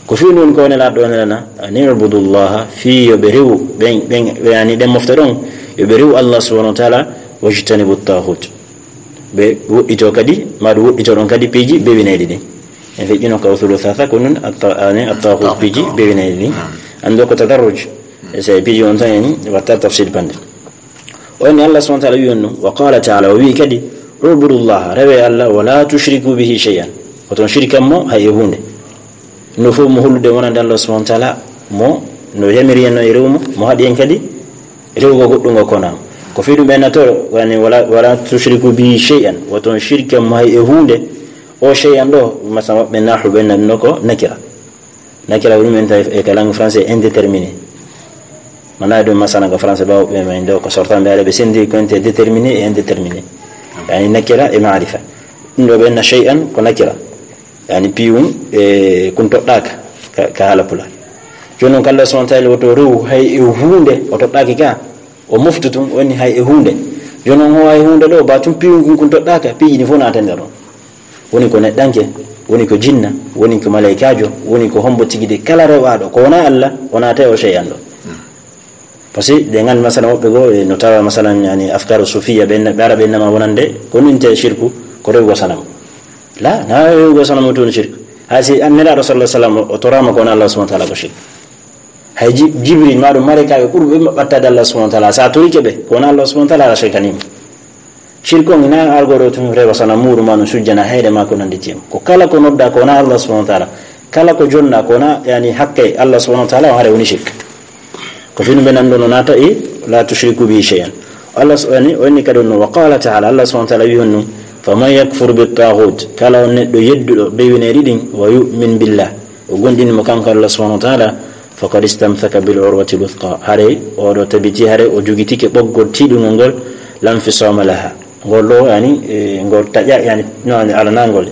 Ko fii ɗum ko nelaaɗo nelana, "An i'budu Allaha," fii yo ɓe rewu, ɓen, ɓen, ɓe yani ɗen mofte ɗon, yo ɓe rewu Allah subhanahu wa ta'ala, "wajtanibu taghut." Ɓe woɗɗito kadi, ma ɗum woɗɗito ɗon kadi piiji bewinayɗi ɗin. En feƴƴino ka usulu thalatha, ko nun atta-, ani attaghut piiji bewinayɗi ɗin. Anndo ko tadarruj. E so e piiji on tan en watta tafsir bande. O ni Allah subhanahu wa ta'ala wi'i on ɗum. Wa qala ta'ala, o wi'i kadi, "U'budu Allaha," rewe Allah, "wa la tushriku bihi shay'an." Oton shirkan mo hay e huunde. No fof mo hollude wonande Allah subhanahu wa ta'ala, mo no yamiri en no e rewu mo, mo haɗi en kadi rewugo goɗɗungo kona. Ko fii ɗum ɓe natoro, yani, "Wala, wala tushriku bi shay'an", woton shirka mo hay e huunde. O shay'an ɗo, masala maɓɓe nahwu ɓe nanno ko nakira. Nakira ko ɗum en tawi e ka langue français indéterminé. Mana ɗum masala ko français bawo ɓe men ɗo ko sortan ɓe ara ɓe sendi ko ente déterminé et indéterminé. Yani nakira e maarifa. Ɗum ɗo ɓe na shay'an ko nakira. Yani piwum e kun toɗɗaka ka, ka haala pulaar. Jooni noon ko Allah subhanahu wa ta'ala woto rew hay e huunde o toɗɗaki ka. O moftu tun, woni hay e huunde. Jooni noon, o hay huunde ɗo, ba tun piwum kun, kun toɗɗaka, piiji ɗi fof naata nder ɗon. Woni ko neɗɗanke, woni ko jinna, woni ko malaykaajo, woni ko hombo tigi de kala rewaaɗo, ko wona Allah, o naata e o shay'an ɗo. Parce que ɗe nganndi, masalan, woɓɓe goo, e no tawa, masalan, yani, afkaru sufiya, ɓe, ɓe ara ɓe nama wonande, ko nun te shirku, ko rewgo sanamu. La, na rewgo sanamu tun shirku. Hay si an Nelaaɗo sallallahu alaihi wasallam, o toraama ko wona Allah subhanahu wa ta'ala ko shirku. Hay Ji-, Jibril, ma ɗum malaykaaɓe ɓurɓe maɓɓattaade Allah subhanahu wa ta'ala, sa torike ɓe, ko wona Allah subhanahu wa ta'ala, a shirkaniima. Shirku on ina argo ɗo tun rewa sana muuru ma no sujjana hayre ma ko nandi tim. Ko kala ko nodda ko wona Allah subhanahu wa ta'ala, kala ko jonna ko wona, yani, hakke Allah subhanahu wa ta'ala, o hare woni shirk. Ko fii ɗum ɓe nanndo no naata e, "La tushriku bi shay'an." Allah s-, yani, o inni kadi on no, wa qala ta'ala, Allah subhanahu wa ta'ala wi honno, "Faman yakfur bi taghut," kala on neɗɗo yedduɗo bewineeɗi ɗin, "wa yu'min billah," o gondini mo kanko Allah subhanahu wa ta'ala, "faqad istamsaka bil urwati wuthqa." Hare oɗo tabiti, hare o jogitike ɓoggol tiiɗungol ngol, "la infisama laha." Ngol ɗo, yani, e, ngol taƴa, yani, no, yani, alanangol.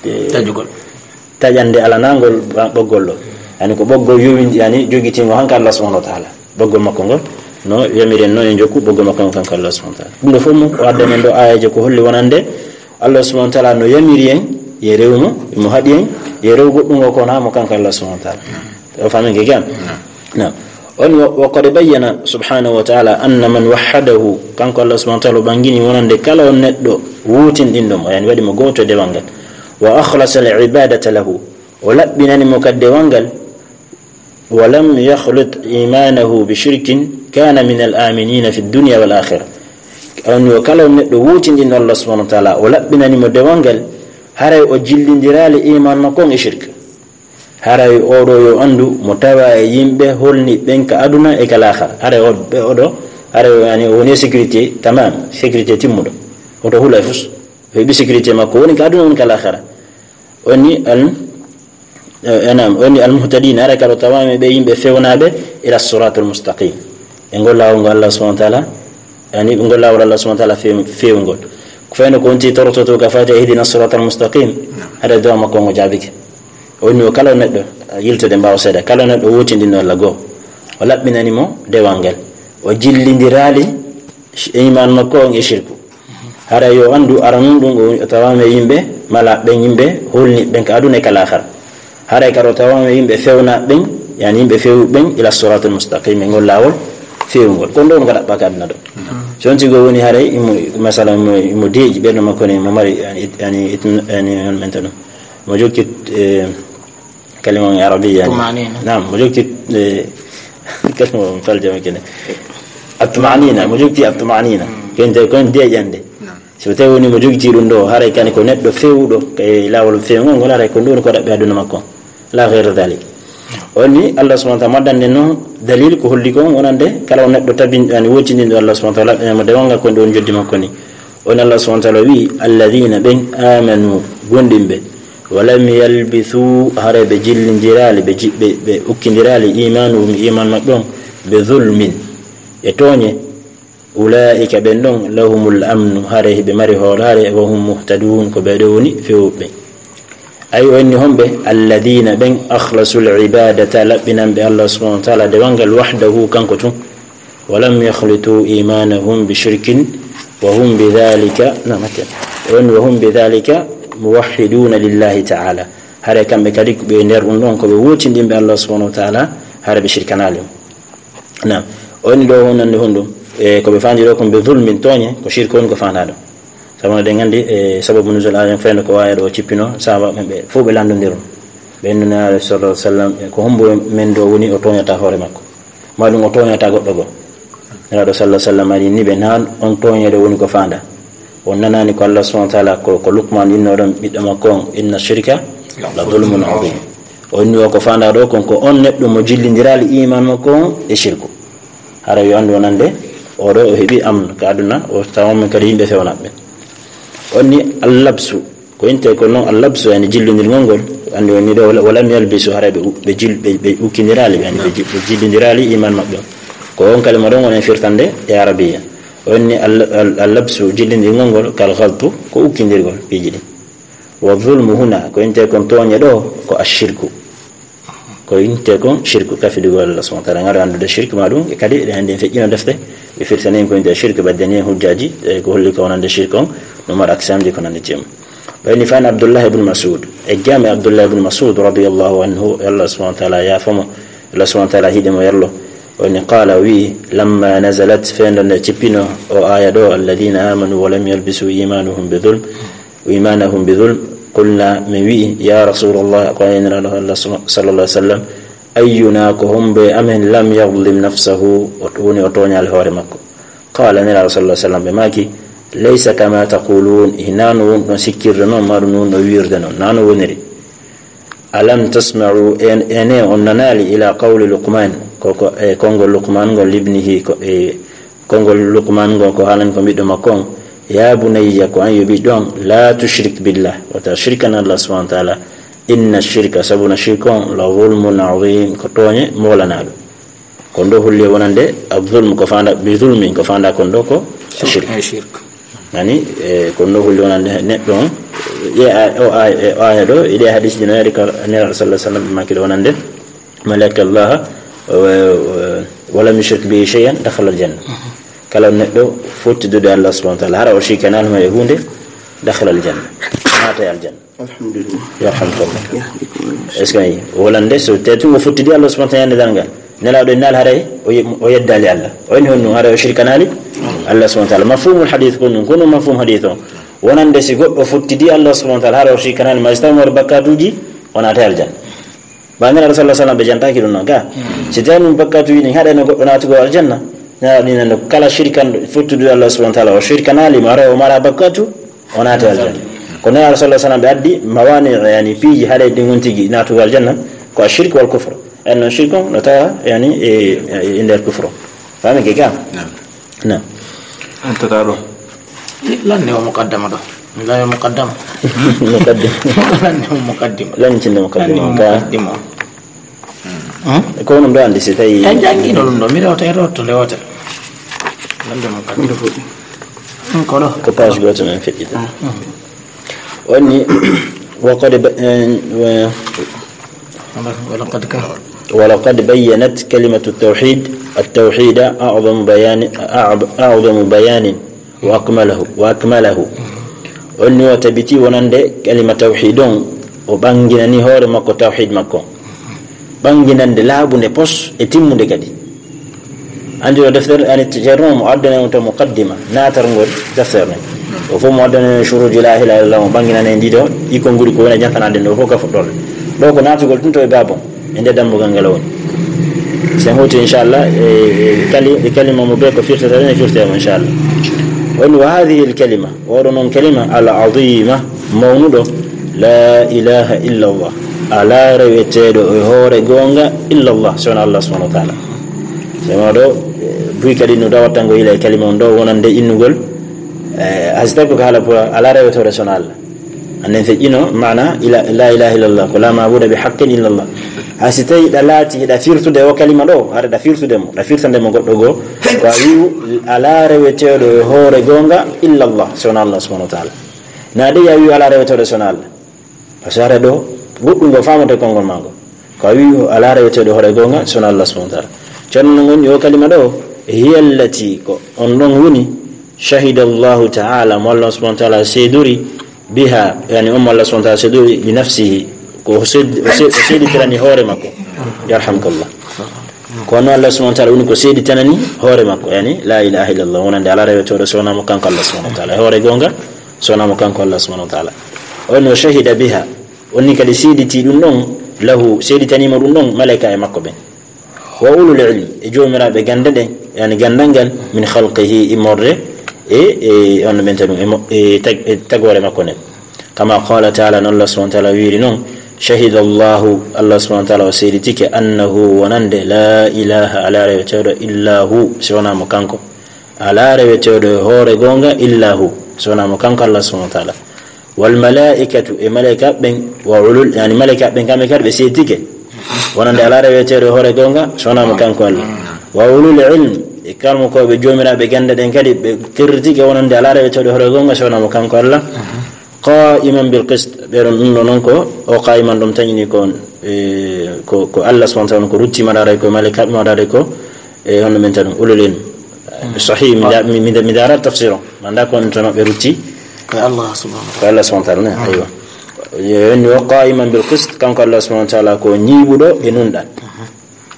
E, taƴugol. Taƴande alanangol ɓa-, ɓoggol ɗo. Yani ko ɓoggol yowindi, yani, jogitingo hanka Allah subhanahu wa ta'ala. Ɓoggol makko ngol, no yamiren no e jokku ɓoggol makko ngol kanko Allah subhanahu wa ta'ala. Ɗum ɗo fof mo o adda men ɗo aayeeje ko holli wonande Allah subhanahu wa ta'ala no yamiri en, ye rew mo, mo haɗi en, ye rew goɗɗum o ko na mo kanko Allah subhanahu wa ta'ala. O famin ke gam? Naam. On wa, wa qad bayyana subhanahu wa ta'ala anna man wahhadahu, kanko Allah subhanahu wa ta'ala o ɓangini wonande kala on neɗɗo wuutinɗinɗo mo, yani waɗi mo gooto e dewal ngal. Wa akhlasa al ibadata lahu, o laɓɓinani mo kadi dewal ngal. Wa lam yakhlit imanahu bi shirkin kana min al aminina fi dunya wal akhirah. On yo kala on neɗɗo wuutinɗinɗo Allah subhanahu wa ta'ala, o laɓɓinani mo dewal ngal, haray o jillindiraali iman makko on e shirk. Haray oɗo yo anndu mo tawa e yimɓe holni ɓen ka aduna e ka laakhara. Haray o, ɓe oɗo, haray o, yani, o woni e sécurité tamam, sécurité timmuɗo. Oto hula e fus. O heɓi sécurité makko woni ka aduna, woni ka laakhara. Woni al, eh, naam, woni al muhtadin, haray kadi o tawama ɓe yimɓe fewnaaɓe ila siratul mustaqim. E ngol laawol ngol Allah subhanahu wa ta'ala, yani, ngol laawol Allah subhanahu wa ta'ala few-, fewngol. Ko fayno ko wonti torototo ka fati ihdina siratal mustaqim, hade dowa makko ngo jaabike. O woni o kala neɗɗo, yiltude mbaawa seeɗa, kala neɗɗo wotindino Allah goo. O laɓɓinani mo dewal ngal. O jillindiraali sh-, iman makko on e shirku. Haray yo anndu aranun ɗum o tawama e yimɓe mala ɓen yimɓe holni ɓen ka aduna e ka laakhara. Haray kadi o tawama e yimɓe fewna ɓen, yani yimɓe fewu ɓen ila siratal mustaqim, e ngol laawol fewngol. Kon ɗo on ka ɗaɓɓa ka aduna ɗo. So on tigo woni haray imo, masala imo, imo deeƴi ɓerɗo makko ne, imo mari, yani, it-, yani, it-, yani, on menta ɗum. Mo jokki, eh, kalima on arabiya, yani. Tumanina. Naam, mo jokki, eh, kalima on faljama kene. At-tumanina, mo jokki at-tumanina. Kente kon deeƴande. Naam. So tawi woni mo jogiti ɗum ɗo, haray kani ko neɗɗo fewuɗo, e laawol fewngol ngol, haray ko ɗum ko ɗaɓɓi aduna makko. La ghayra dhalik. On ni Allah subhanahu wa ta'ala maddande noon dalil ko holli kon wonande kala on neɗɗo tabin-, yani wotindinɗo Allah subhanahu wa ta'ala, ɓe mo dewal ngal ko ɗum joddi makko ni. On Allah subhanahu wa ta'ala wi, "Alladhina", ɓen, "amanu", gondimɓe, "wa lam yalbithu", haray ɓe jillindiraali, ɓe ji-, ɓe, ɓe ukkindiraali, "imanuhum", iman maɓɓe on, "bi dhulmin", e tooñe, "ulaa'ika", ɓen ɗon, "lahumul amnu", haray ɓe mari hoolaare, "wa hum muhtadun", ko ɓe ɗo woni fewɓe. Ay, o inni homɓe, "alladhina", ɓen, "akhlasul ibadata", laɓɓinanɓe Allah subhanahu wa ta'ala dewal ngal wahdahu, kanko tun. "Wa lam yakhlitu imanahum bi shirkin, wa hum bi dhalika", na, makke. O inni, "wa hum bi dhalika muwahhiduna lillahi ta'ala." Haray kamɓe kadi ko ɓe nder ɗum ɗon, ko ɓe wotindinɓe Allah subhanahu wa ta'ala, haray ɓe shirkanaali mo. Naam. O inni ɗo honande honɗum? E ko ɓe fandi ɗo kon bi dhulmin, tooñe, ko shirku woni ko fanda ɗo. Sabu no ɗen nganndi, e sababu nuzul aaya, fayno ko waaya ɗo o cippino, sahaba ɓen ɓe fof ɓe lanndondiron. Ɓe innu Nelaaɗo sallallahu alaihi wasallam, e ko hombo men ɗo woni o tooñata hoore makko? Ma ɗum o tooñata goɗɗo goo? Nelaaɗo sallallahu alaihi wasallam ari ni ɓe, naan on tooñeede woni ko fanda. On nanaani ko Allah subhanahu wa ta'ala, ko, ko Luqman inno ɗon ɓiɗɗo makko on, "Inna shirka la dhulmun adhim." O inni o ko fanda ɗo kon ko on neɗɗo mo jillindiraali iman makko on e shirku. Hara yo anndu wonande Oɗo o heɓi amnu ka aduna, o tawama kadi yimɓe fewnaɓe. Onni allabsu, ko inte ko noon allabsu, yani jillondirgol ngol, andi woni ɗo, wala, walam yalbisu, haray ɓe u-, ɓe jil-, ɓe, ɓe ukkindirali, yani ɓe ji-, ɓe jillondirali iman maɓɓe. Ko on kalima ɗon woni firtande e arabiya. Onni al-, al-, allabsu, jillondirgol ngol, kal galtu, ko ukkindirgol piiji ɗin. Wa zulmu huna, ko inte kon tooñe ɗo, ko ashirku. Ko inte kon shirku, kafidugol Allah subhanahu wa ta'ala. Ngara anndude shirku ma ɗum, e kadi eɗen anndi en feƴƴino defte, ɓe firtani en ko inte shirku, ɓe addani en hujjaaji, e ko holli ko wonande shirku on, no mara aksamji ko nandi ceem. Ɓayni fan Abdullah ibn Mas'ud, e jami Abdullah ibn Mas'ud radiyallahu anhu, Allah subhanahu wa ta'ala yaafamo, Allah subhanahu wa ta'ala hiɗe mo yallo. Woni qala, wi, lamma nazalat, fendo nde cippino o aya ɗo, alladhina amanu wa lam yalbisu imanuhum bi dhulm, imanahum bi dhulm, qulna, min wi'i, ya Rasulallah, ko a Nulaaɗo Allah sallallahu alaihi wasallam, ayyuna, ko hombo e amen, lam yadhlim nafsahu, o woni o tooñaali hoore makko? Qala, Nulaaɗo sallallahu alaihi wasallam, ɓe maaki, laysa kama taqulun, hinaa no woni ɗon sikkirde noon, maa ɗum no woni ɗon wiirde noon, naa no woniri. Alam tasma'u, en, ene on nanaali ila qawli Luqman, ko, ko, e konngol Luqman ngol libnihi, ko, e konngol Luqman ngol ko haalani ko ɓiɗɗo makko on, ya bunayya, ko an yo ɓiɗɗo on, la tushrik billah, wata shirkan Allah subhanahu wa ta'ala, inna shirka, sabuna shirk on, la zulmun azim, ko tooñe moolanaaɗo. Ko ndo holli wonande, az-zulm ko fanda, bi zulmin ko fanda kon ɗo ko shirk. Ay shirk. Ani, e, ko ndo holli wonande neɗɗo on, e, a, o, a, e, o aya ɗo, e ɗe hadis ɗi no yari ka Nulaaɗo sallallahu alaihi wasallam ɓe maaki ɗo wonande, man laqiya Allah, wa, wa, wa lam yushrik bihi shay'an, dakhala al-janna. Kala neɗɗo fottidude Allah subhanahu wa ta'ala, hara o shirkanaali mo e huunde, dakhala al-janna. Naata e aljanna. Alhamdulillah. Yarhamkallah. Yahdikum. Est-ce que ayi? Wonande so tawi tun o fottidi Allah subhanahu wa ta'ala ñande darngal. Nulaaɗo en naal haray o ye-, o yeddaali Allah. O inni honno haray o shirkanaali Allah subhanahu wa ta'ala. Mafhumul hadith ko ɗum, ko ɗum mafhum hadith o. Wonande si goɗɗo fottidi Allah subhanahu wa ta'ala haray o shirkanaali, ma si tawi mo bakkatuuji, o naata aljanna. Ba Nulaaɗo sallallahu alaihi wasallam ɓe jantaaki ɗum noon ka. Si tawi ɗum bakkatuuji ɗin haɗayno goɗɗo naatugol aljanna, Nulaaɗo ɗin nande kala shirkanɗo fottude Allah subhanahu wa ta'ala, o shirkanaali mo haray o mara bakkatu, o naati aljanna. Ko Nulaaɗo sallallahu alaihi wasallam ɓe addi mawani, yani piiji haɗay ɗin on tigi naatugol aljanna, ko ashirk wal kufr. En noon shirk on no tawa yani e, e nder kufr. Faami ke ka? Naam. Naam. En tata ɗo. Lanne o muqaddama ɗo. Lanne o muqaddama. Muqaddima. Lanne o muqaddima. Lanne cinde muqaddima. Lanne o muqaddima. Hmm? Ko onon ɗo anndi si tawi en janngiino ɗum ɗo, mi rewta e rewta nde wootere. Lanne o muqaddima. Hmm, ko ɗo. Ko page gooto men feƴƴita. Hmm. Woni, wa qad ba-, eh, wa-, ولقد كفر. ولقد بينت كلمة التوحيد، التوحيد أعظم بيان، أعظ-، أعظم بيان وأكمله، وأكمله. Onni o tabiti wonande kalima tawhid on, o ɓanginani hoore makko tawhid makko. Ɓanginande laaɓunde pos e timmunde kadi. Anndi o deftere, ani ceerno mo addana on to muqaddima, naatarngol deftere nden. O fof mo addana on shuruji la ilaha illallah, mo ɓanginana en ɗiɗo, ikon nguri ko woni jantanaade nden, o fof ka fuɗɗorde. Ɗo ko naatugol tun to e baabon, e nde dambugal ngal o woni. Sen hoti, inchallah, e, e kali-, e kalima mo be ko firtata ɗen, e firte mo, inchallah. Woni, wa hadhihi al kalima, oɗo noon kalima, al azima, mawnuɗo, la ilaha illallah. Alaa reweteeɗo e hoore goonga illallah, so wonaa Allah subhanahu wa ta'ala. Sema ɗo, eh, buy kadi no dawata ngo ila e kalima on ɗo wonande innugol, eh, hay so tawi ko haala pour alaa rewetooɗo so wonaa Allah. Annden feƴƴino maana ila, la ilaha illallah, ko la maabuda bi haqqin illallah. Hay so tawi ɗa laati hiɗa firtude o kalima ɗo, haɗa ɗa firtude mo, ɗa firtande mo goɗɗo goo, ko a wi'u alaa reweteeɗo e hoore goonga illallah, so wonaa Allah subhanahu wa ta'ala. Na de ya wi'u alaa reweteeɗo so wonaa Allah. Parce que hara ɗo, goɗɗum ngo faamata e konngol maa ngo. Ko a wi'i o alaa reweteeɗo hoore goonga, so wonaa Allah subhanahu wa ta'ala. Ceerno no ngoni o kalima ɗo, hiya allati, ko on ɗon woni, shahida Allahu ta'ala, mo Allah subhanahu wa ta'ala seedori, biha, yani on mo Allah subhanahu wa ta'ala seedori, li nafsihi, ko o seed-, o seed-, o seeditirani hoore makko. Yarhamkallah. Ko on Allah subhanahu wa ta'ala woni ko seeditanani hoore makko, yani la ilaha illallah, wonande alaa reweteeɗo so wonaa mo kanko Allah subhanahu wa ta'ala. E hoore goonga, so wonaa mo kanko Allah subhanahu wa ta'ala. O no shahida biha, onni kadi seediti ɗum ɗon, lahu, seeditaniimo ɗum ɗon, malaika e makko ɓen. Wa ulul ilmi, e joomiraaɓe gannde ɗen, yani ganndal ngal, min khalqihi, immorde e, e on no ɓenta ɗum, e mo-, e tag-, e tagoore makko nden. Kama qala ta'ala, non Allah subhanahu wa ta'ala wiiri non, shahida Allahu, Allah subhanahu wa ta'ala o seeditike, annahu, wonande, la ilaha, alaa reweteeɗo, illa hu, si wonaa mo kanko. Alaa rewetooɗo e hoore goonga illa hu, so wonaa mo kanko Allah subhanahu wa taala. Wal malaa'ikatu, e malaa'ika ɓen, wa ulul, yani malaa'ika ɓen kamɓe kadi ɓe seedike. Wonande alaa rewetooɗo e hoore goonga, so wonaa mo kanko Allah. Wa ulul ilm, e karmukooɓe joomiraaɓe gannde ɗen kadi ɓe territike wonande alaa rewetooɗo e hoore goonga, so wonaa mo kanko Allah. Qa'iman bil qist, ɓe ɗon ɗum ɗo noon ko, o qa'iman ɗum tañini ko, e, ko, ko Allah subhanahu wa taala ko rutti maɗaare ko malaa'ika ɓe maɗaare ko, e, honno men tan ulul ilm. Sahih, mi da-, mi, mi, mi daara tafsir o. Mi annda ko on to maɓɓe rutti. Ko Allah subhanahu wa taala. Ko Allah subhanahu wa taala, ne, aywa. Yo, yo, o qa'iman bil qist, kanko Allah subhanahu wa taala ko ñiiɓuɗo e nunɗal.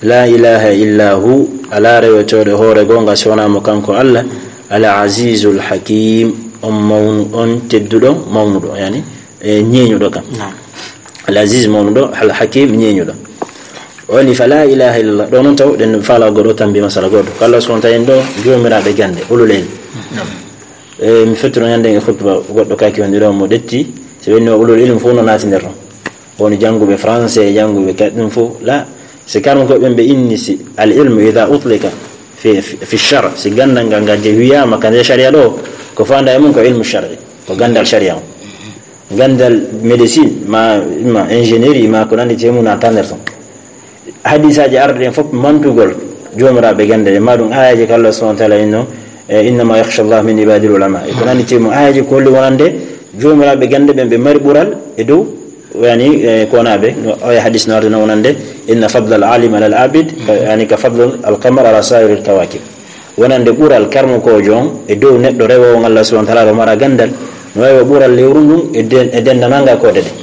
La ilaha illa hu, alaa rewetooɗo e hoore goonga so wonaa mo kanko Allah, al azizul hakim, on mawnu-, on tedduɗo, mawnuɗo, yani, e ñeeñuɗo kam. Naam. Al aziz mawnuɗo, al hakim ñeeñuɗo. O ni fa la ilaha illallah. Ɗo noon taw ɗen faala goɗɗo tambi masala goɗɗo. Ko Allah subhanahu wa taala en ɗo joomiraaɓe gannde, ulul ilm. Naam. E, mi fettino ñande e khutba goɗɗo kaki wonde ɗo mo ɗetti, so ɓenni o ulul ilm fof no naati nder ɗon. Woni jannguɓe français, jannguɓe kaɗ ɗum fof. La, si karma ko ɓen ɓe inni si al ilmu ida utlika fi, fi, fi shar, si ganndal ngal ngal je wiyaama ka nder sharia ɗo, ko faanda e mum ko ilmu shar'i, ko ganndal sharia on. Ganndal médecine, ma, ma ingénierie, ma ko nanndi e mum na tanner ton. Hadisaaji arɗi ɗen fof mantugol joomiraaɓe gannde ɗen, ma ɗum aayeeje ko Allah subhanahu wa taala inno, e, "Innama yakhsha Allah min ibadil ulama." E ko nanndi cemu aayeeje ko holli wonande joomiraaɓe gannde ɓen ɓe mari ɓural e dow, yani, e, konaaɓe. No, oya hadis no arde no wonande, "Inna fadla al alim ala al abid, ka, yani, ka fadl al qamar ala sairil kawakib." Wonande ɓural karmukoojo on e dow neɗɗo rewoowo Allah subhanahu wa taala, mara ganndal, no wayi wa ɓural lewru ndun e den-, e denndangal nga koode ɗen.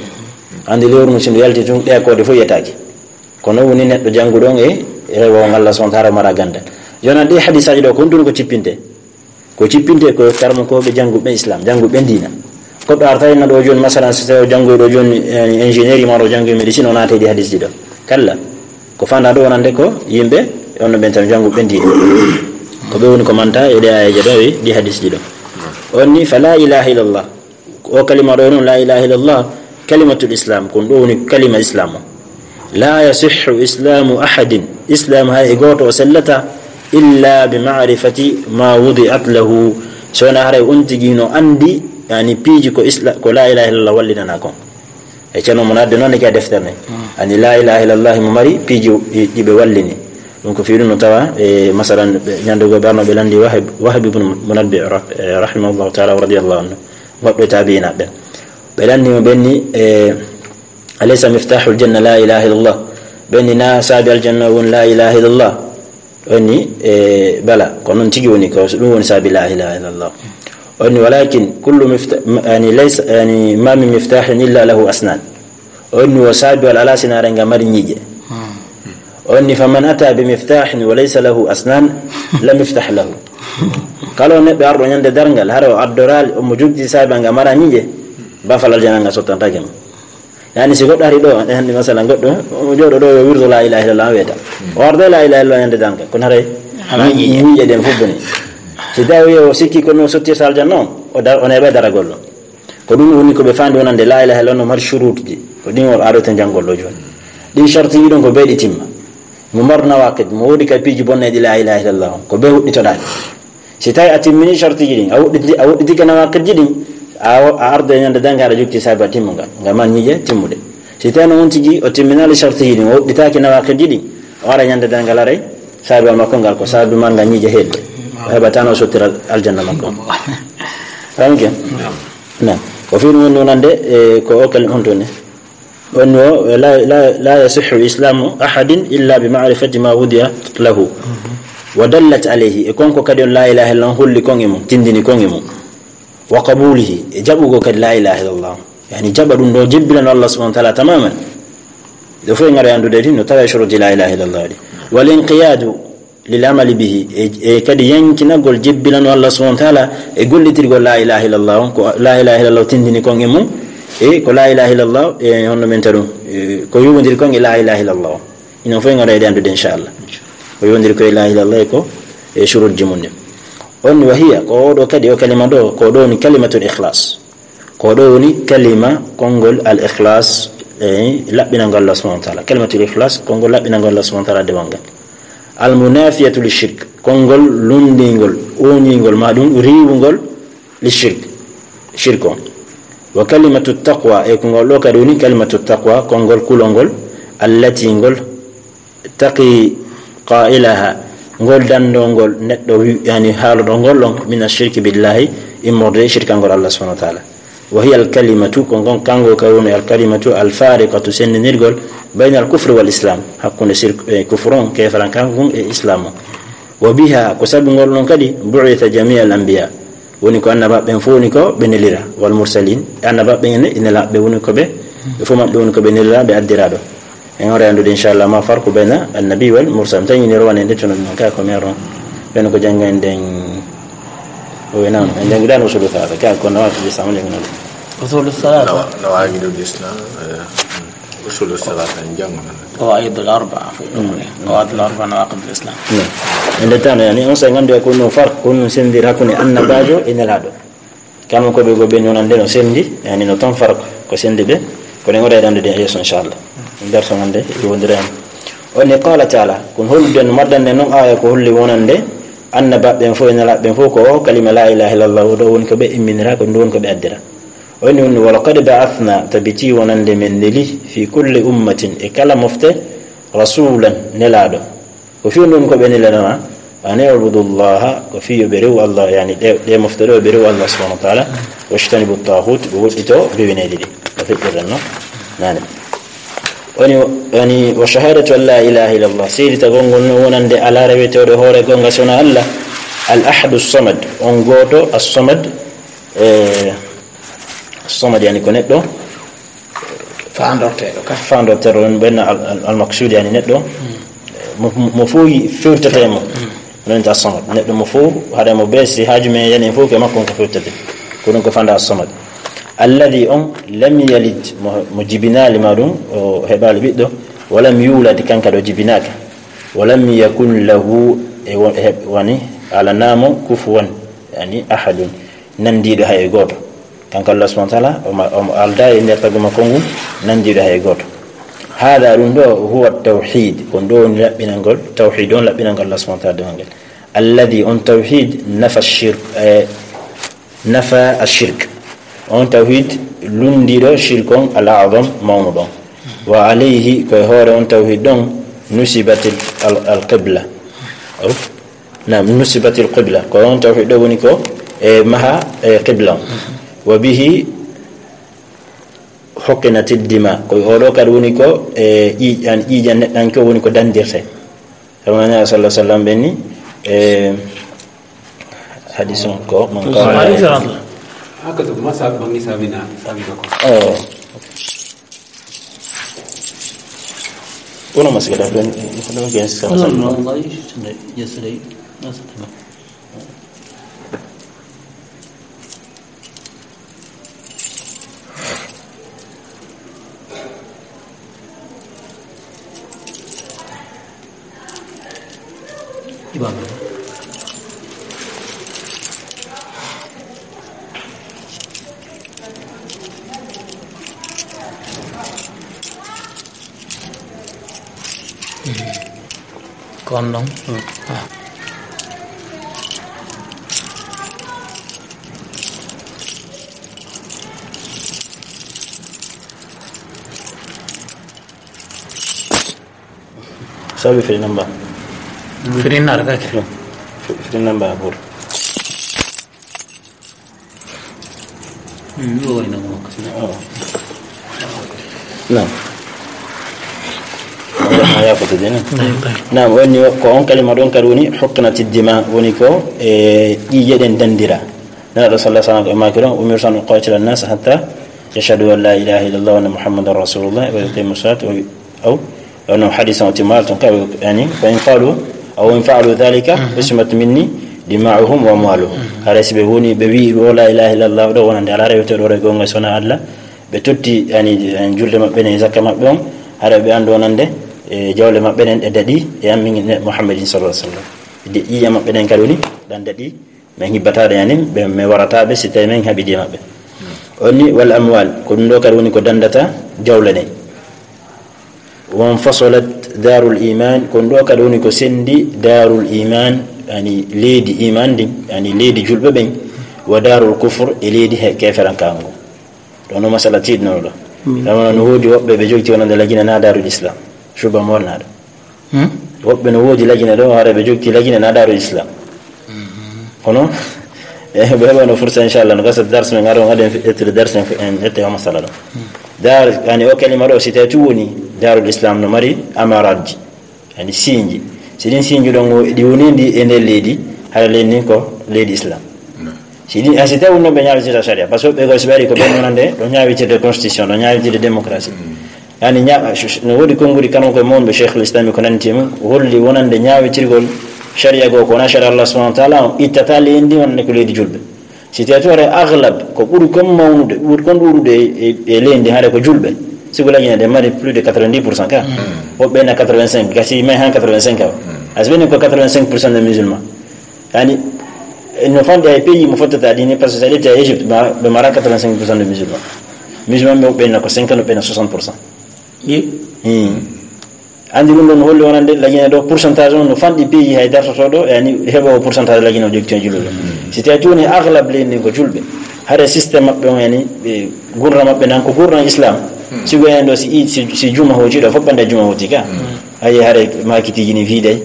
Anndi lewru ndun si ndu yalti tun, ɗe koode fof yiyetaake. Kono woni neɗɗo jannguɗo on e rewo on Allah subhanahu wa taala mara ganndal. Jooni ɗi hadisaaji ɗo, ko honɗun ko cippinte? Ko cippinte ko karmukooɓe jannguɓe Islam, jannguɓe diina. Goɗɗo arta ina ɗo jooni, masalan, so tawi o janngoyi ɗo jooni, yani, ingénierie, ma o janngoyi médecine, o naata e ɗi hadisji ɗo. Kalla. Ko faanda ɗo wonande ko yimɓe, on no ɓen tan jannguɓe diina. Ko ɓe woni ko manta e ɗe aayeeje ɗo e ɗi hadisji ɗo. On ni, fa la ilaha illallah. O kalima ɗo noon, la ilaha illallah, kalimatul islam, ko ɗum ɗo woni kalima islam o. La yasihhu islamu ahadin, islam hay e gooto o sellata, illa bi ma'rifati ma wudi'at lahu, so wonaa haray on tigi no anndi, yani, piiji ko isla-, ko la ilaha illallah wallinana kon. E ceerno mo nadde noon e ka deftere ne. Ani la ilaha illallah mo mari piiji ɗi, ɗi ɓe wallini. Ɗum ko fii ɗum no tawa, e, masalan, ɓe, ñande goo ɓe arno ɓe lanndi Wahb, Wahb ibn Munabbih rah-, e, rahimahullahu taala wa radiyallahu anhu. Goɗɗo e taabi'inaaɓe ɓen. Ɓe lanndi mo, ɓe ni, e, "Alaysa miftahul janna la ilaha illallah?" Ɓe ni, "Na saabi aljanna won la ilaha illallah?" O ni, e, "Bala, ko noon tigi woni, ko ɗum woni saabi la ilaha illallah." O ni, "Walakin kullu mifta-, yani, laysa, yani, ma min miftahin illa lahu asnan." O ni, "O saabi wal ala sinaare nga mari ñiiƴe." O ni, "Faman ata bi miftahin wa laysa lahu asnan, lam yuftah lahu." Kala o neɗɗo arɗo ñande darngal, hara o addoraali, omo jogdi saabi nga mara ñiiƴe, bafal aljana nga sottantaake mo. Yani, si goɗɗo ari ɗo, e hannde, masalan, goɗɗo, o jooɗo ɗo, yo wirdo la ilaha illallah, weeta. O arda la ilaha illallah ñande darngal, kono haray ñiiƴe. Ñiiƴe ɗen fof boni. Si tawi o sikki kono o sottirta aljanna on, o dar-, o neeɓa daragol ɗon. Ko ɗum woni ko ɓe faandi wonande la ilaha illallah no mari shuruutji. Ko ɗin o aroyta janngol ɗo jooni. Ɗin shartiiji ɗon ko beeɗi timma. Mo mbar nawaqid, mo woodi ka piiji bonneeji la ilaha illallah on, ko bee huɗɗitoɗaani. Si tawi a timmini shartiiji ɗin, a woɗɗiti-, a woɗɗitike nawaqidji ɗin, a, a arda e ñande darngal aɗa jogti saabi timmungal, nga ma ñiiƴe timmuɗe. Si tawi no on tigi o timminaali shartiiji ɗin, o woɗɗitaaki nawaqidji ɗin, o ara ñande darngal aray, saabi makko ngal ko saabi manngal ñiiƴe heedde. O heɓataano o sottira aljanna makko. Famike? Naam. Ko fii ɗum woni wonande, e, ko o kalima honto ne? On wo, la, la, la yasihhu islamu ahadin illa bi ma'rifati ma wudiya lahu. Wa dallat alayhi, e kon ko kadi on la ilaha illallah holli kon e mum, tindini kon e mum. Wa qabulihi, e jaɓugol kadi la ilaha illallah. Yani jaɓa ɗum ɗo, jebbilano Allah subhanahu wa ta'ala tamaman. Ɗo fof e ngara anndude ɗin, no tawa e shuruuti la ilaha illallah ɗi. Wal inqiyadu lil amali bihi, e, e kadi yankinagol jebbilano Allah subhanahu wa ta'ala e gollitirgol la ilaha illallah on, ko la ilaha illallah tindini kon e mum, e ko la ilaha illallah, e honno men taru, e ko yowondiri kon e la ilaha illallah. Ina fof e ngara e anndude, inchallah. Ko yowondiri ko la ilaha illallah e ko e shuruutji mum ɗin. On wa hiya, ko oɗo kadi, o kalima ɗo, ko ɗo woni kalimatul ikhlas. Ko ɗo woni kalima konngol al ikhlas, e laɓɓinangol Allah subhanahu wa ta'ala. Kalimatul ikhlas, konngol laɓɓinangol Allah subhanahu wa ta'ala dewal ngal. Al munafiyatu li shirk, konngol lunndingol, ooñingol, ma ɗum riiwungol li shirk, shirk on. Wa kalimatu taqwa, e konngol ɗo kadi woni kalimatu taqwa, konngol kulol ngol, allati ngol taqi qailaha, ngol danndongol neɗɗo wi-, yani haaloɗo ngol ɗon, min ashirki billahi, immorde e shirkangol Allah subhanahu wa ta'ala. Wa hiya al kalimatu, ko ngon kanngol ka woni al kalimatu al fariqatu, senndindirgol, bayna al kufri wal islam, hakkunde sirk-, e kufru on, keefarankanko ngun e islam on. Wa biha, ko sabu ngol ɗon kadi, bu'itha jami' al anbiya, woni ko annabaaɓe ɓen fof woni ko ɓe nelira, wal mursalin, annabaaɓe ɓen e nelaaɓe woni ko ɓe, ɓe fof maɓɓe woni ko ɓe nelira, ɓe addira ɗo. En hoore anndude, inchallah, ma farqu bayna annabi wal mursal. Tawi ni rowane nde tunu ɗum ka ko mero. Ɓen ko janngo en nden. O wi noon, en janngidaano usulu thalatha, ka ko nawaqidul islam jannginooɗo. Usulu thalatha. Nawa-, nawaqidul islam, eh, usulu thalatha en janngo. Qawaidul arba'a. Qawaidul arba'a nawaqidul islam. En nde tan, yani, on sa nganndu ko no farq, ko no sendir hakkunde annabaajo e nelaaɗo. Kamɓe ko ɓe go ɓen wonande no sendi, yani no tan farq ko sendi ɓe, ko ɗen o ɗaɗande ɗen yeeso, inchallah. Darso ngande e wondira en. O ni qala ta'ala, kun holden maddande non aya ko holli wonande annabaaɓe ɓen fof e nelaaɓe ɓen fof ko o kalima la ilaha illallah o ɗo woni ko ɓe imminira, ko ɗum woni ko ɓe addira. O ni woni, "Wa laqad ba'athna", tabiti wonande men neli, "fi kulli ummatin", e kala mofte, "rasulan", nelaaɗo. Ko fii ɗum ko ɓe nelirana, "An i'budu Allaha", ko fii yo ɓe rewu Allah, yani ɗe, ɗe mofte ɗo ɓe rewu Allah subhanahu wa ta'ala, "wajtanibu taghut", ɓe woɗɗito bewineeji ɗi. O feƴƴirren no? Nani. Woni, woni, "Wa shahadatu an la ilaha illallah", seeditagol ngol no wonande alaa rewetooɗo hoore goonga so wonaa Allah, "al ahadu samad", on gooto, as-samad, e, samad yani ko neɗɗo, faandorteeɗo ka. Faandorteeɗo on ɓenna al-, al-, al-maqsuud, yani neɗɗo. Mo, mo fof yi-, fewtete mo. Noon ta samad. Neɗɗo mo fof, haɗa mo be si haaju men yani fof ke makko on ko fewtete. Ko ɗum ko fanda samad. Alladhi on lam yalid, mo, mo jibinaali ma ɗum, o heɓaali ɓiɗɗo. Wa lam yulad, kanka ɗo jibinaaka. Wa lam yakun lahu, e wo-, e heɓ-, wani, alanaamo kufuwan, yani ahadun. Nanndiiɗo hay e gooto. Kanko Allah subhanahu wa ta'ala, omo, omo aldaa e nder tagu makko ngun, nanndiiɗo hay e gooto. Hada ɗum ɗo, huwa tawhid, ko ɗo woni laɓɓinangol, tawhid on laɓɓinangol Allah subhanahu wa ta'ala dewangel. Alladhi on tawhid nafa shirk, eh, nafa ashirk. On tawhid lunndiiɗo shirk on al a'zam mawnuɗo on. Wa alayhi, ko e hoore on tawhid ɗon, nusibatil al, al qibla. Aw? Naam, nusibatil qibla. Ko on tawhid ɗo woni ko e maha e qibla on. Wa bihi huqinatil dima. Ko o ɗo kadi woni ko e ƴiiƴan, ƴiiƴan neɗɗanke o woni ko dandirte. Sabu Nana sallallahu alaihi wasallam ɓenni e hadis on ko man qala. Haka to masa bangi sabina, sabina ko. Oh. Kono ma siga ɗaɗɗon, kono ma gen sa. No, no, no, yesterday, yesterday. Kon ɗon. Sabi firi namba. Firi namba kake. Firi namba bur. Naam. Naam, woni ko on kalima ɗon kadi woni huqinati dima, woni ko e ƴiiƴe ɗen dandira. Nana ɗo sallallahu alaihi wasallam ko e maaki ɗon, "Umirtu an uqatila an-nasa hatta yashhadu an la ilaha illallah wa anna Muhammadan rasulullah wa yuqimu salata wa yu-," aw, ono hadis on timmal ton ka, yani, "Fa in qalu, aw in fa'alu dhalika, usimat minni dima'uhum wa amwaluhum." Hara si ɓe woni, ɓe wi'i, "O la ilaha illallah," ɗo wonande ala rewete ɗo e gonga sona Allah, ɓe totti, yani, yani, julde maɓɓe ɗen, zakka maɓɓe on, hara ɓe anndo wonande, e jawle maɓɓe ɗen ɗe daɗi, e an min ne Muhammadin sallallahu alaihi wasallam. De ƴiiƴe maɓɓe ɗen kadi woni, ɗan daɗi, min hibbataɗe, yani, ɓe, mi warata ɓe si tawi min haɓidi e maɓɓe. Onni wal amwal, ko ɗum ɗo kadi woni ko dandata jawle ɗen. Wan fasolat Darul Iman, kon ɗo kadi woni ko sendi Darul Iman, yani leydi iman ndin, yani leydi julɓe ɓen, wa Darul Kufr, e leydi he keferankango. Ɗo no masala tiiɗnoɗo ɗo. Ɗama no woodi woɓɓe ɓe jogti wonande Lagine na Darul Islam. Suba molnaɗo. Woɓɓe no woodi Lagine ɗo, hara ɓe jogti Lagine na Darul Islam. Kono, e, ɓe heɓano fursa, inchallah, no gasa dars men, aro ngaɗen ƴettude dars men, en ƴette o masala ɗo. Dar, yani o kalima ɗo, si tawi tu woni Darul Islam no mari amaratji, yani sinji. Si ɗin sinji ɗon, o, ɗi woni ndi e nder leydi, hara leydi ndin ko leydi Islam. Si ɗin, a si tawi wonno ɓe ñaawitira sharia, parce que ɓe go si ɓe ari ko ɓen wonande, ɗo ñaawitirde constitution, ɗo ñaawitirde démocratie. Yani ña-, no woodi konngudi kano ko mawɓe Cheikhul Islam ko nanti mum, holli wonande ñaawitirgol sharia goo ko wona sharia Allah subhanahu wa ta'ala, on ittata leydi wonande ko leydi julɓe. Si tawi to hare aglab, ko ɓuri kon mawnude, ɓuri kon ɗuuɗude e, e, e leydi hare ko julɓe. Si ko Lagine ɗe mari plus de quatre-vingt-dix pour cent ka. Woɓɓe na quatre-vingt-cinq, gasi may han quatre-vingt-cinq ka. Asbeni ko quatre-vingt-cinq pour cent de musulmans. Yani, no fanɗi hay pays mo fottata ɗini, parce que sa ƴetti a Égypte, ma, ɓe mara quatre-vingt-cinq pour cent de musulmans. Musulman ɓe, ɓe na ko cinquante, ɓe na soixante pour cent. Andi ɗum ɗon holli wonande Lagine ɗo, pourcentage on no fanɗi pays hay dartotoɗo, yani heɓo pourcentage Lagine o jogti on julɓe. Si tawi tuni aglab leydi ndin ko julɓe, hare système maɓɓe on, yani ɓe gurna maɓɓe nan ko gurna islam. Si go en ɗo, si, i- si, si juma hoti ɗo, fof ɓande juma hoti ka. Hayi hare makitiji ni fiiday.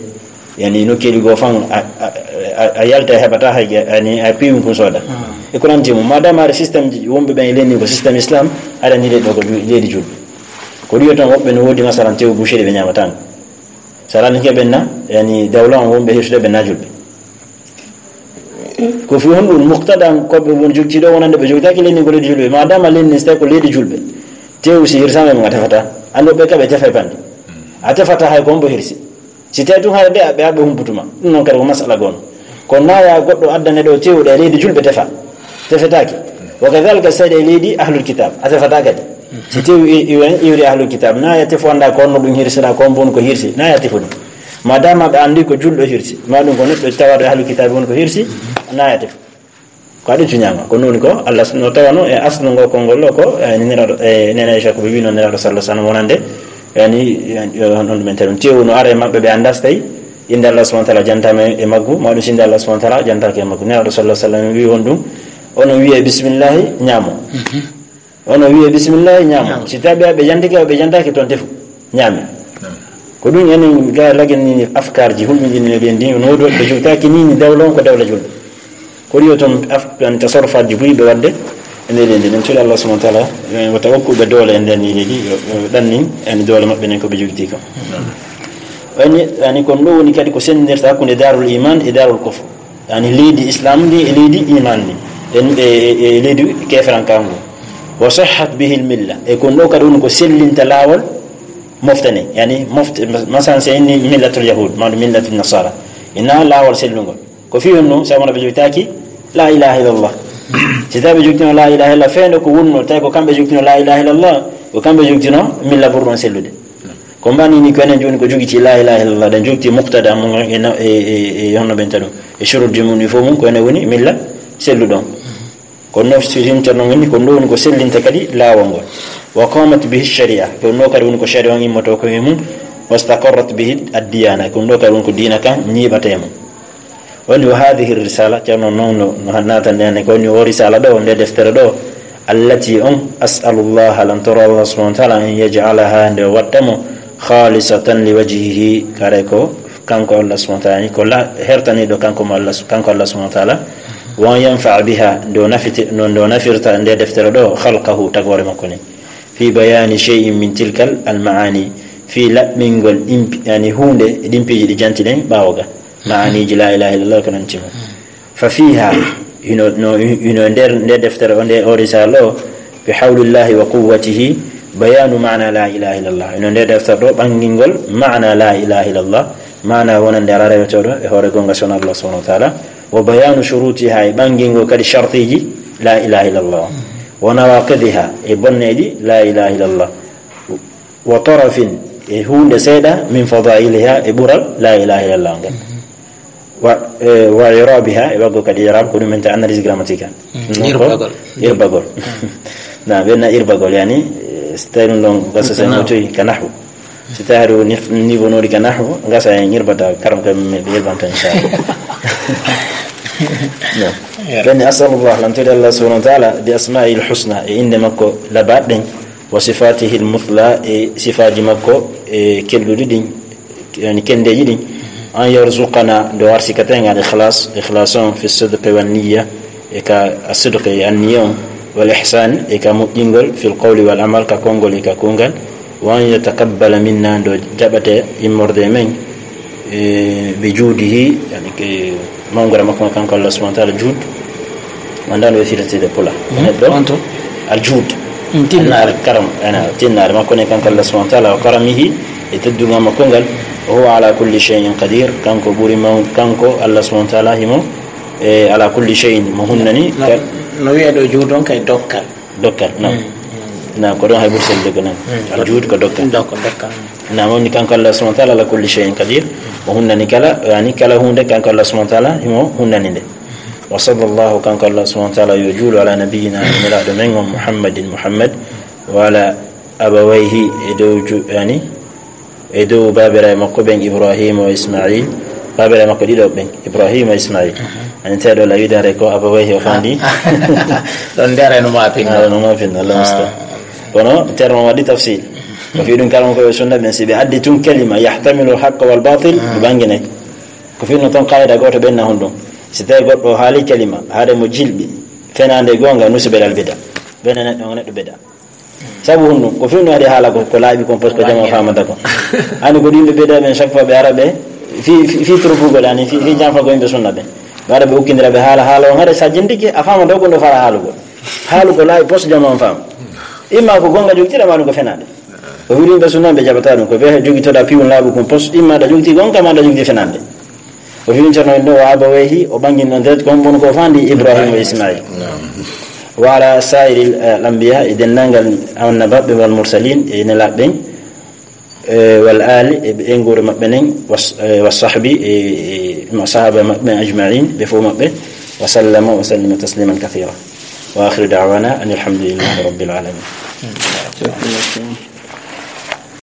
Yani nokkeeli goo fan a, a, a, a yalta heɓata hay, yani a piwin kun sooda. E ko nanti mo, madame hare système ji wonɓe ɓen e leydi ko système islam, aɗa ni ɗo ko ju-, leydi julɓe. Ko ɗiyo tan woɓɓe no woodi masalan tew boucherie ɓe ñaamata ngo. Sa rani ke ɓen na, yani dawla on wonɓe hirsude ɓen na julɓe. Ko fi honɗum muqtada ko ɓe won jogti ɗo wonande ɓe jogtaki leydi ko leydi julɓe. Madame leydi ni, so tawi ko leydi julɓe. Tew si hirsama e mum a tefata. Ando ɓe kaɓe tefa e bande. A tefata hay ko hombo hirsi. Si tawi tun hara ɓe, ɓe, ɓe humputuma. Ɗum noon kadi ko masala goono. Ko naya goɗɗo addane ɗo tew ɗe leydi julɓe tefa. Tefetaake. Wa kadhalika seeɗa e leydi ahlul kitab. A tefata kadi. Si tew i, i, iwri ahlul kitab. Naya tefu anda ko honno ɗum hirsira, ko honbo woni ko hirsi. Naya tefu ɗum. Madama ɓe andi ko julɗo hirsi. Ma ɗum ko neɗɗo tawaɗo e ahlul kitab woni ko hirsi. Naya tefu. Ko aɗa cuñama. Ko noon ko Allah no tawano e aslu ngo konngol ɗo ko, e, niraɗo, e, nene Aisha ko ɓe wino niraɗo sallallahu alaihi wasallam wonande. Yani, yani, on ɗum en tawi tew no ara e maɓɓe ɓe andas tawi. Innde Allah subhanahu wa ta'ala jantama e maggu, ma ɗum si innde Allah subhanahu wa ta'ala jantake e maggu. Niraɗo sallallahu alaihi wasallam wi on ɗum, ono wiye bismillahi, ñaamo. Ono wiye bismillahi, ñaamo. Si tawi ɓe jantike, ɓe jantake toon tefu, ñaami. Ko ɗum enen ga lagen ni afkarji hulɓinɗinɗi ɓe ndi, no woodi woɓɓe jogtaki ni, ni dawla on ko dawla julɓe. Ko ɗiyo toon af-, tan tasarrufaji buy ɓe wadde e nder leydi. Min cuuɗi Allah subhanahu wa ta'ala, eh, wata okku ɓe doole e nder ni leydi, yo, yo ɗannin en doole maɓɓe nden ko ɓe jogiti kam. Wayni, yani kon ɗo woni kadi ko sendirta hakkunde darul iman e darul kufr. Yani leydi islam ndi e leydi iman ndi. E, e, e, e leydi keferanka ngu. Wa sahhat bihi al milla. E kon ɗo kadi woni ko sellinta laawol moftane. Yani moft-, masan se inni millatul yahud, ma millatul nasara. Ina laawol sellungol. Ko fi honno, sabu no ɓe jogitaki la ilaha illallah. Si tawi ɓe jogitino la ilaha illallah, feendo ko wonno, tawi ko kamɓe jogitino la ilaha illallah, ko kamɓe jogitino milla ɓurɗo on sellude. Ko mbani ni ko enen joni ko jogiti la ilaha illallah, ɗen jogiti muqtada mum e na-, e, e, e honno ɓenta ɗum. E shurutji mum ɗi fof mum, ko enen woni milla selluɗon. Ko noon si himta noon woni, ko ɗum woni ko sellinta kadi laawol ngol. Wa qamat bihi sharia, ko ɗum ɗo kadi woni ko sharia on immoto ko e mum. Wastaqarrat bihi ad-diyana, ko ɗum ɗo kadi woni ko diina kan ñiiɓata e mum. Woni wa hadhihi risala, ceerno noon no, no naatande en ko woni o risala ɗo, nde deftere ɗo, allati on, as'alullaha, lan toro Allah subhanahu wa ta'ala, an yaj'alaha, nde watta mo, khalisatan li wajhihi, kare ko kanko Allah subhanahu wa ta'ala, ko la, hertaniɗo kanko mo Allah, kanko Allah subhanahu wa ta'ala, wa an yanfa'a biha, nde o nafiti-, no, nde o nafirta nde deftere ɗo, khalqahu, tagore makko ni. Fi bayani shay'in min tilkal al ma'ani, fi laɓɓingol ɗimpi, yani huunde e ɗimpiiji ɗi jantiɗen ɓaawo ga. Maaniji la ilaha illallah ko nanti mo. Fa fiha, hino, no, hino nder nde deftere o, nde o risala o, bi hawlillahi wa quwwatihi, bayanu maana la ilaha illallah. Hino nde deftere ɗo ɓangingol maana la ilaha illallah, maana wonande ala rewetoɗo e hoore gonga sona Allah subhanahu wa ta'ala, wa bayanu shurutiha, e ɓangingol kadi shartiji la ilaha illallah, wa nawaqidiha, e bonneɗi la ilaha illallah, wa tarafin, e huunde seeɗa, min fadailiha, e ɓural la ilaha illallah ngal. Wa, e, wa irabiha, e waggo kadi irab, ko ɗum en ta analyse grammaticale. Mm, non ko irbagol. Irbagol. Na, ɓenna irbagol, yani, e, so tawi ɗum ɗon, gasa sen no toyi ka nahwu. Si tawi haɗo niveau noɗi ka nahwu, gasa en ñirbata karam ka men ɓe ñirbanta, inchallah. Ɓen ni, asalullah, lantude Allah subhanahu wa taala bi asma'i l husna, e innde makko labaɗe ɗen, wa sifatihi l muthla, e sifaaji makko e kelɗuɗi ɗin, yani kendeeji ɗin, an yarzuqana, nde warsikata en al ikhlas, ikhlas on, fi sidqi wan niyya, e ka asidqi e anniya on, wal ihsan, e ka moƴƴingol, fil qawli wal amal, ka konngol e ka kuugal, wa an yatakabbala minna, ndo jaɓate immorde e men, e bi juudihi, yani ke mawngara makko kanko Allah subhanahu wa taala, juud, wanda no e firtide pula. Neɗɗo, al juud. Tinnaare. Al karam, ena, tinnaare makko ne kanko Allah subhanahu wa taala, wa karamihi, e teddungal makko ngal, wa huwa ala kulli shay'in qadir, kanko ɓuri maw-, kanko Allah subhanahu wa taala himo, e ala kulli shay'in, mo hunnani. No, no wiye ɗo juud on kay dokkal. Dokkal, na. Na, ko ɗon hay ɓuri sellude ko nan. Al juud ko dokkal. Dok-, dokkal. Na, mawni kanko Allah subhanahu wa taala ala kulli shay'in qadir, o hunnani kala, yani kala hunde kanko Allah subhanahu wa taala himo hunnani nde. Wa sallallahu, kanko Allah subhanahu wa taala yo juulu ala nabiyyina, nelaaɗo men on Muhammadin, Muhammad, wa ala abawayhi, e dow ju-, yani, e dow baabiraaɓe makko ɓen, Ibrahima wa Ismail, baabiraaɓe makko ɗiɗo ɓen, Ibrahima wa Ismail. Ani teɗo la wiide hare ko abawayhi o fandi. Ɗon ndere no ma pin. Ah, no ma pin, Allah musta. Kono termo waɗi tafsil. Ko fi ɗum karam ko e sunna ɓen, si ɓe addi tun kalima yahtamilu haqqa wal batil, ɓe bangine. Ko fi no ton qaida goto ɓen na honɗum. Si tawi goɗɗo haali kalima, haade mo jilɓi, fenande gonga, nusibe dal bida. Ɓen neɗɗo, neɗɗo bida. Sabu honɗum? Ko fewndo waɗi haala ko, ko laaɓi kon, parce que jama famata kon. Ani ko ɗimɓe ɓeyda ɓen, chaque fois ɓe ara ɓe, fi, fi, fi trofugol, ani fi, fi janfagol yimɓe sunna ɓen. Ɓe ara ɓe ukkindira ɓe haala, haala on, haɗa sa jentike, a famata ko ɗo fara haalugol. Haalu ko laaɓi, parce que jama on fama. Imma ko gonga jogtira, ma ɗum ko fenade. Ko fi ɗimɓe sunna ɓe jaɓata ɗum, ko ɓe jogitoɗa piwun laaɓu kon, parce que imma ɗa jogti gonga, ma ɗa jogti fenande. O fini Ceerno en ɗo, wa abawayhi, o ɓanngin ɗon direct, ko on woni ko fandi Ibrahima e Ismail. Naam. Wa ala sairi l anbiya, e denndaangal annabaaɓe, wal mursalin, e nelaaɓe ɓen, e wal ali, e ɓe nguure maɓɓe nen, was-, e wa sahbi, e, e ma sahaaba maɓɓe ajmain, ɓe fof maɓɓe, wa sallama wa sallima tasliman kathira. Wa akhiru da'wana anil hamdulillahi rabbil alamin.